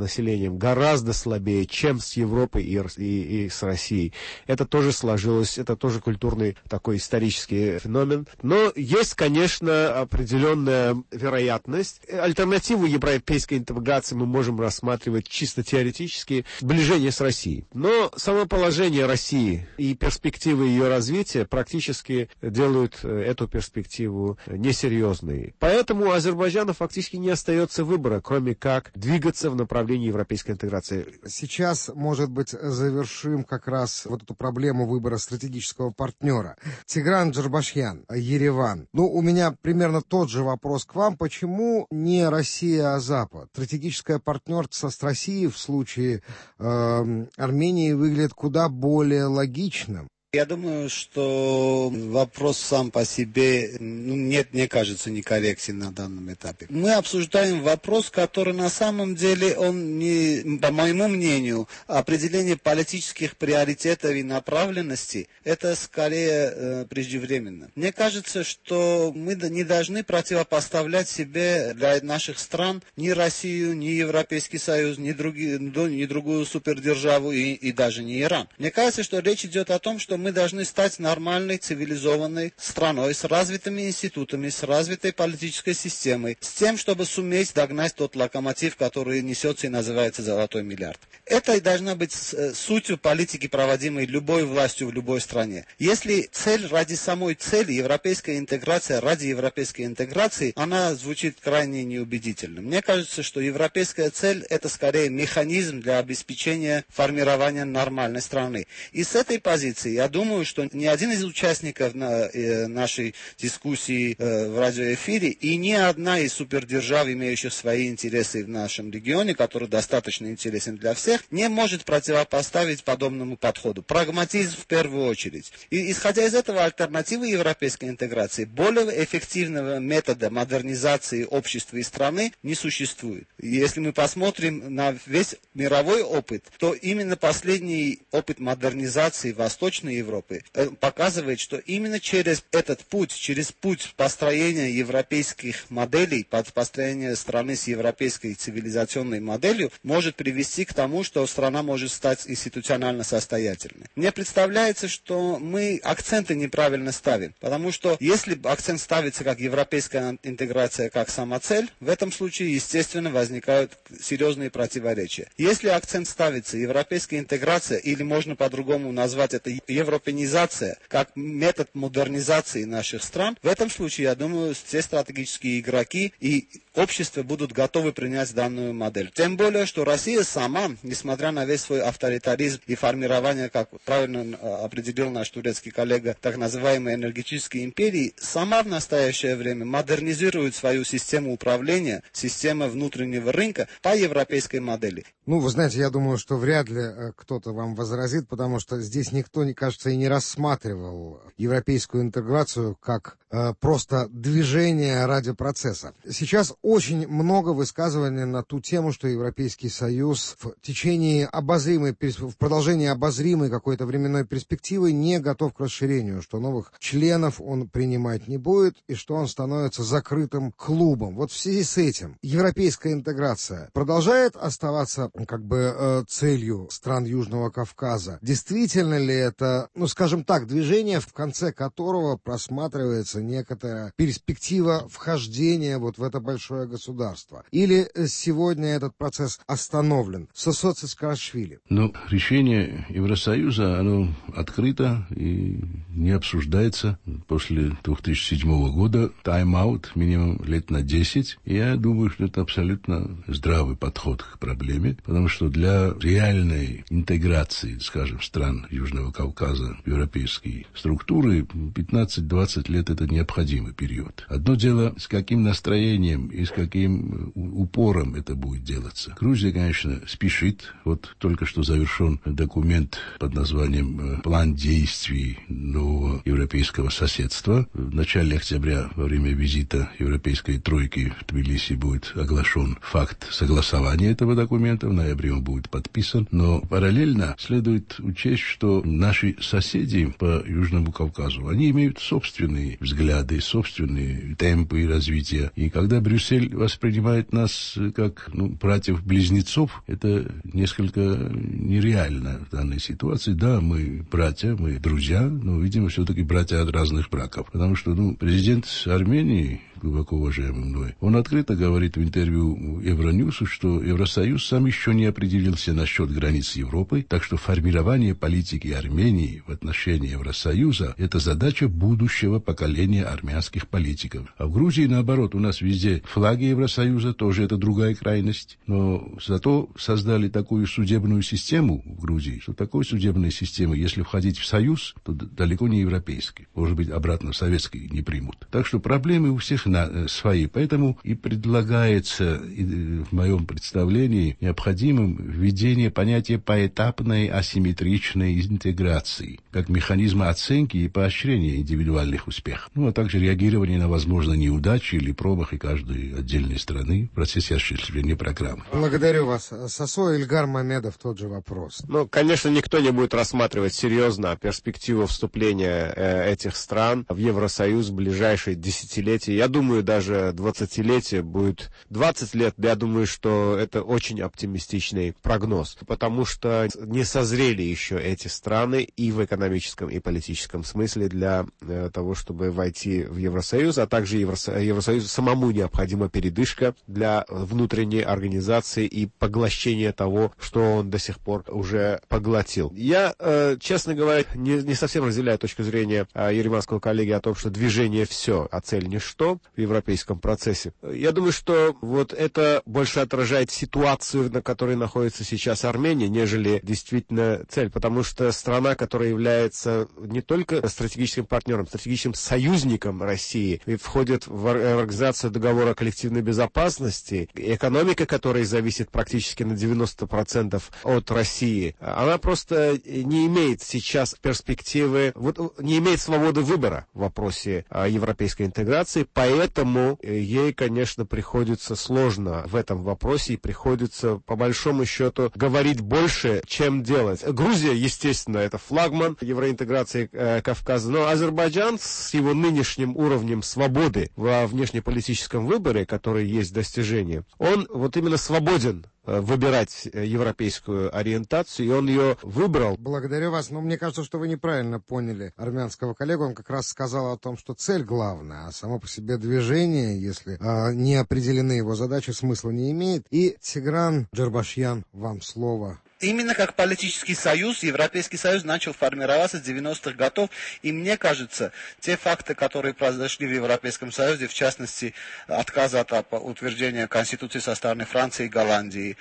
населением, гораздо слабее, чем с Европой и, и, и с Россией. Это тоже сложилось, это тоже культурный такой исторический феномен. Но есть, конечно, определенная вероятность. Альтернативу европейской интеграции мы можем рассматривать чисто теоретически, сближение с Россией. Но само положение России и перспективы ее развития практически делают эту перспективу несерьезной. Поэтому у Азербайджана фактически не остается выбора, кроме как двигаться в направлении европейской интеграции. Сейчас, может быть, завершим как раз вот эту проблему выбора стратегического партнера. Тигран Джарбашьян, Ереван. Ну, у меня примерно тот же вопрос к вам. Почему не Россия, а Запад? Стратегическое партнерство с Россией в случае э, Армении выглядит куда более логичным. Я думаю, что вопрос сам по себе, ну, нет, мне кажется, некорректен на данном этапе. Мы обсуждаем вопрос, который на самом деле, он не, по моему мнению, определение политических приоритетов и направленностей, это скорее э, преждевременно. Мне кажется, что мы не должны противопоставлять себе для наших стран ни Россию, ни Европейский Союз, ни, другие, ни другую супердержаву и, и даже не Иран. Мне кажется, что речь идет о том, что мы должны стать нормальной, цивилизованной страной с развитыми институтами, с развитой политической системой, с тем, чтобы суметь догнать тот локомотив, который несется и называется «золотой миллиард». Это и должна быть сутью политики, проводимой любой властью в любой стране. Если цель ради самой цели, европейская интеграция ради европейской интеграции, она звучит крайне неубедительно. Мне кажется, что европейская цель – это скорее механизм для обеспечения формирования нормальной страны. И с этой позиции я думаю, что ни один из участников на, э, нашей дискуссии э, в радиоэфире и ни одна из супердержав, имеющих свои интересы в нашем регионе, который достаточно интересен для всех, не может противопоставить подобному подходу. Прагматизм в первую очередь. И исходя из этого, альтернативы европейской интеграции, более эффективного метода модернизации общества и страны не существует. И если мы посмотрим на весь мировой опыт, то именно последний опыт модернизации Восточной Европы показывает, что именно через этот путь, через путь построения европейских моделей, под построение страны с европейской цивилизационной моделью, может привести к тому, что страна может стать институционально состоятельной. Мне представляется, что мы акценты неправильно ставим, потому что если акцент ставится как европейская интеграция, как самоцель, в этом случае, естественно, возникают серьезные противоречия. Если акцент ставится европейская интеграция, или можно по-другому назвать это европенизация, как метод модернизации наших стран, в этом случае, я думаю, все стратегические игроки и общество будут готовы принять данную модель. Тем более, что Россия сама, несмотря на весь свой авторитаризм и формирование, как правильно определил наш турецкий коллега, так называемой энергетической империи, сама в настоящее время модернизирует свою систему управления, систему внутреннего рынка по европейской модели. Ну, вы знаете, я думаю, что вряд ли кто-то вам возразит, потому что здесь никто, мне кажется, и не рассматривал европейскую интеграцию как э, просто движение ради процесса. Сейчас очень много высказываний на ту тему, что Европейский Союз в течение обозримой, в продолжении обозримой какой-то временной перспективы не готов к расширению, что новых членов он принимать не будет и что он становится закрытым клубом. Вот в связи с этим европейская интеграция продолжает оставаться как бы э, целью стран Южного Кавказа. Действительно ли это, ну, скажем так, движение, в конце которого просматривается видится некоторая перспектива вхождения вот в это большое государство? Или сегодня этот процесс остановлен? Сосоци Саакашвили. Ну, решение Евросоюза, оно открыто и не обсуждается. После две тысячи седьмого года тайм-аут минимум лет на десять. Я думаю, что это абсолютно здравый подход к проблеме, потому что для реальной интеграции, скажем, стран Южного Кавказа в европейские структуры пятнадцать-двадцать лет это необходимый период. Одно дело, с каким настроением и с каким упором это будет делаться. Грузия, конечно, спешит. Вот только что завершен документ под названием «План действий нового европейского соседства». В начале октября во время визита европейской тройки в Тбилиси будет оглашен факт согласования этого документа. В ноябре он будет подписан. Но параллельно следует учесть, что наши соседи по Южному Кавказу, они имеют собственные взгляды, собственные темпы развития. И когда Брюссель воспринимает нас как ну, братьев-близнецов, это несколько нереально в данной ситуации. Да, мы братья, мы друзья, но, видимо, все-таки братья от разных браков. Потому что ну, президент Армении, глубоко уважаемый мной, он открыто говорит в интервью Евроньюсу, что Евросоюз сам еще не определился насчет границ Европы, так что формирование политики Армении в отношении Евросоюза – это задача будущего поколения армянских политиков. А в Грузии, наоборот, у нас везде флаги Евросоюза, тоже это другая крайность, но зато создали такую судебную систему в Грузии, что такой судебной системы, если входить в Союз, то далеко не европейский, может быть, обратно в советский не примут. Так что проблемы у всех на свои. Поэтому и предлагается в моем представлении необходимым введение понятия поэтапной асимметричной интеграции, как механизма оценки и поощрения индивидуальных успехов, ну а также реагирование на возможные неудачи или промахи каждой отдельной страны в процессе осуществления программы. Благодарю вас. Сосо, Ильгар Мамедов, тот же вопрос. Ну, конечно, никто не будет рассматривать серьезно перспективу вступления э, этих стран в Евросоюз в ближайшие десятилетия. Я думаю, даже двадцатилетие будет двадцать лет. Я думаю, что это очень оптимистичный прогноз, потому что не созрели еще эти страны и в экономическом, и политическом смысле для э, того, чтобы войти в Евросоюз, а также Евросо- Евросоюзу самому необходима передышка для внутренней организации и поглощения того, что он до сих пор уже поглотил. Я, э, честно говоря, не, не совсем разделяю точку зрения э, ереманского коллеги о том, что движение все, а цель ничто в европейском процессе. Я думаю, что вот это больше отражает ситуацию, на которой находится сейчас Армения, нежели действительно цель, потому что страна, которая является не только стратегическим партнером, стратегическим союзником России, и входит в организацию договора о коллективной безопасности, экономика которой зависит практически на девяносто процентов от России, она просто не имеет сейчас перспективы, вот, не имеет свободы выбора в вопросе европейской интеграции, поэтому ей, конечно, приходится сложно в этом вопросе и приходится, по большому счету, говорить больше, чем делать. Грузия, естественно, это флагман евроинтеграции э, Кавказа, но Азербайджан с его нынешним уровнем свободы во внешнеполитическом выборе, который есть достижение, он вот именно свободен выбирать европейскую ориентацию, и он ее выбрал. Благодарю вас, но мне кажется, что вы неправильно поняли армянского коллегу. Он как раз сказал о том, что цель главная, а само по себе движение, если а, не определены его задачи, смысла не имеет. И Тигран Джарбашьян, вам слово. Именно как политический союз, Европейский союз начал формироваться с девяностых годов, и мне кажется, те факты, которые произошли в Европейском союзе, в частности, отказ от утверждения Конституции со стороны Франции и Голландии,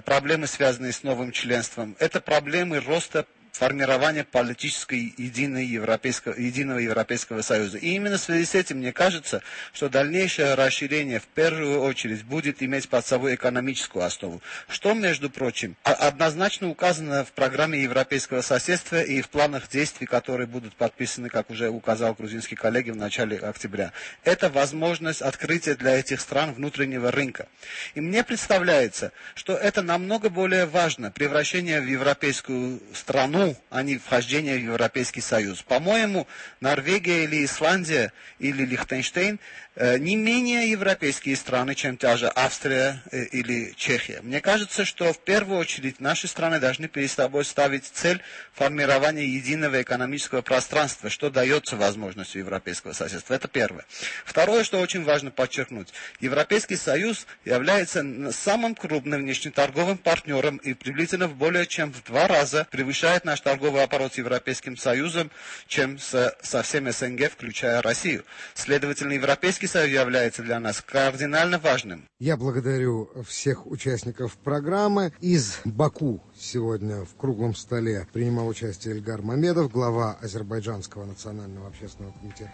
проблемы, связанные с новым членством, это проблемы роста формирования политической единой европейского, единого Европейского Союза. И именно в связи с этим мне кажется, что дальнейшее расширение в первую очередь будет иметь под собой экономическую основу, что, между прочим, однозначно указано в программе европейского соседства и в планах действий, которые будут подписаны, как уже указал грузинский коллега, в начале октября. Это возможность открытия для этих стран внутреннего рынка. И мне представляется, что это намного более важно, превращение в европейскую страну, а не вхождение в Европейский Союз. По-моему, Норвегия или Исландия или Лихтенштейн не менее европейские страны, чем та же Австрия или Чехия. Мне кажется, что в первую очередь наши страны должны перед собой ставить цель формирования единого экономического пространства, что дается возможностью европейского соседства. Это первое. Второе, что очень важно подчеркнуть. Европейский Союз является самым крупным внешнеторговым партнером и приблизительно в более чем в два раза превышает наш торговый оборот с Европейским Союзом, чем со, со всем СНГ, включая Россию. Следовательно, Европейский Союз является для нас кардинально важным. Я благодарю всех участников программы. Из Баку сегодня в круглом столе принимал участие Эльгар Мамедов, глава Азербайджанского национального общественного комитета.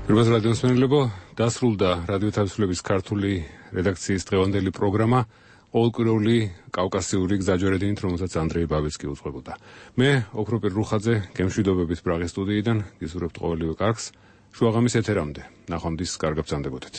Რუბას რადიოს მენელებო, დასრულდა რადიო თავისუფლების ქართული რედაქციის დღევანდელი პროგრამა ყოველკვირეული კავკასიური გზაჯვარედინით, რომელსაც ანდრეი ბაბეცკი უძღვებოდა. მე, ოქროპირ რუხაძე, გემშვიდობებით პრაღის სტუდიიდან გისურვებთ ყოველივე კარგს. შუაღამის ეთერამდე. ნახვამდის კარგ ბრძანდებოდეთ.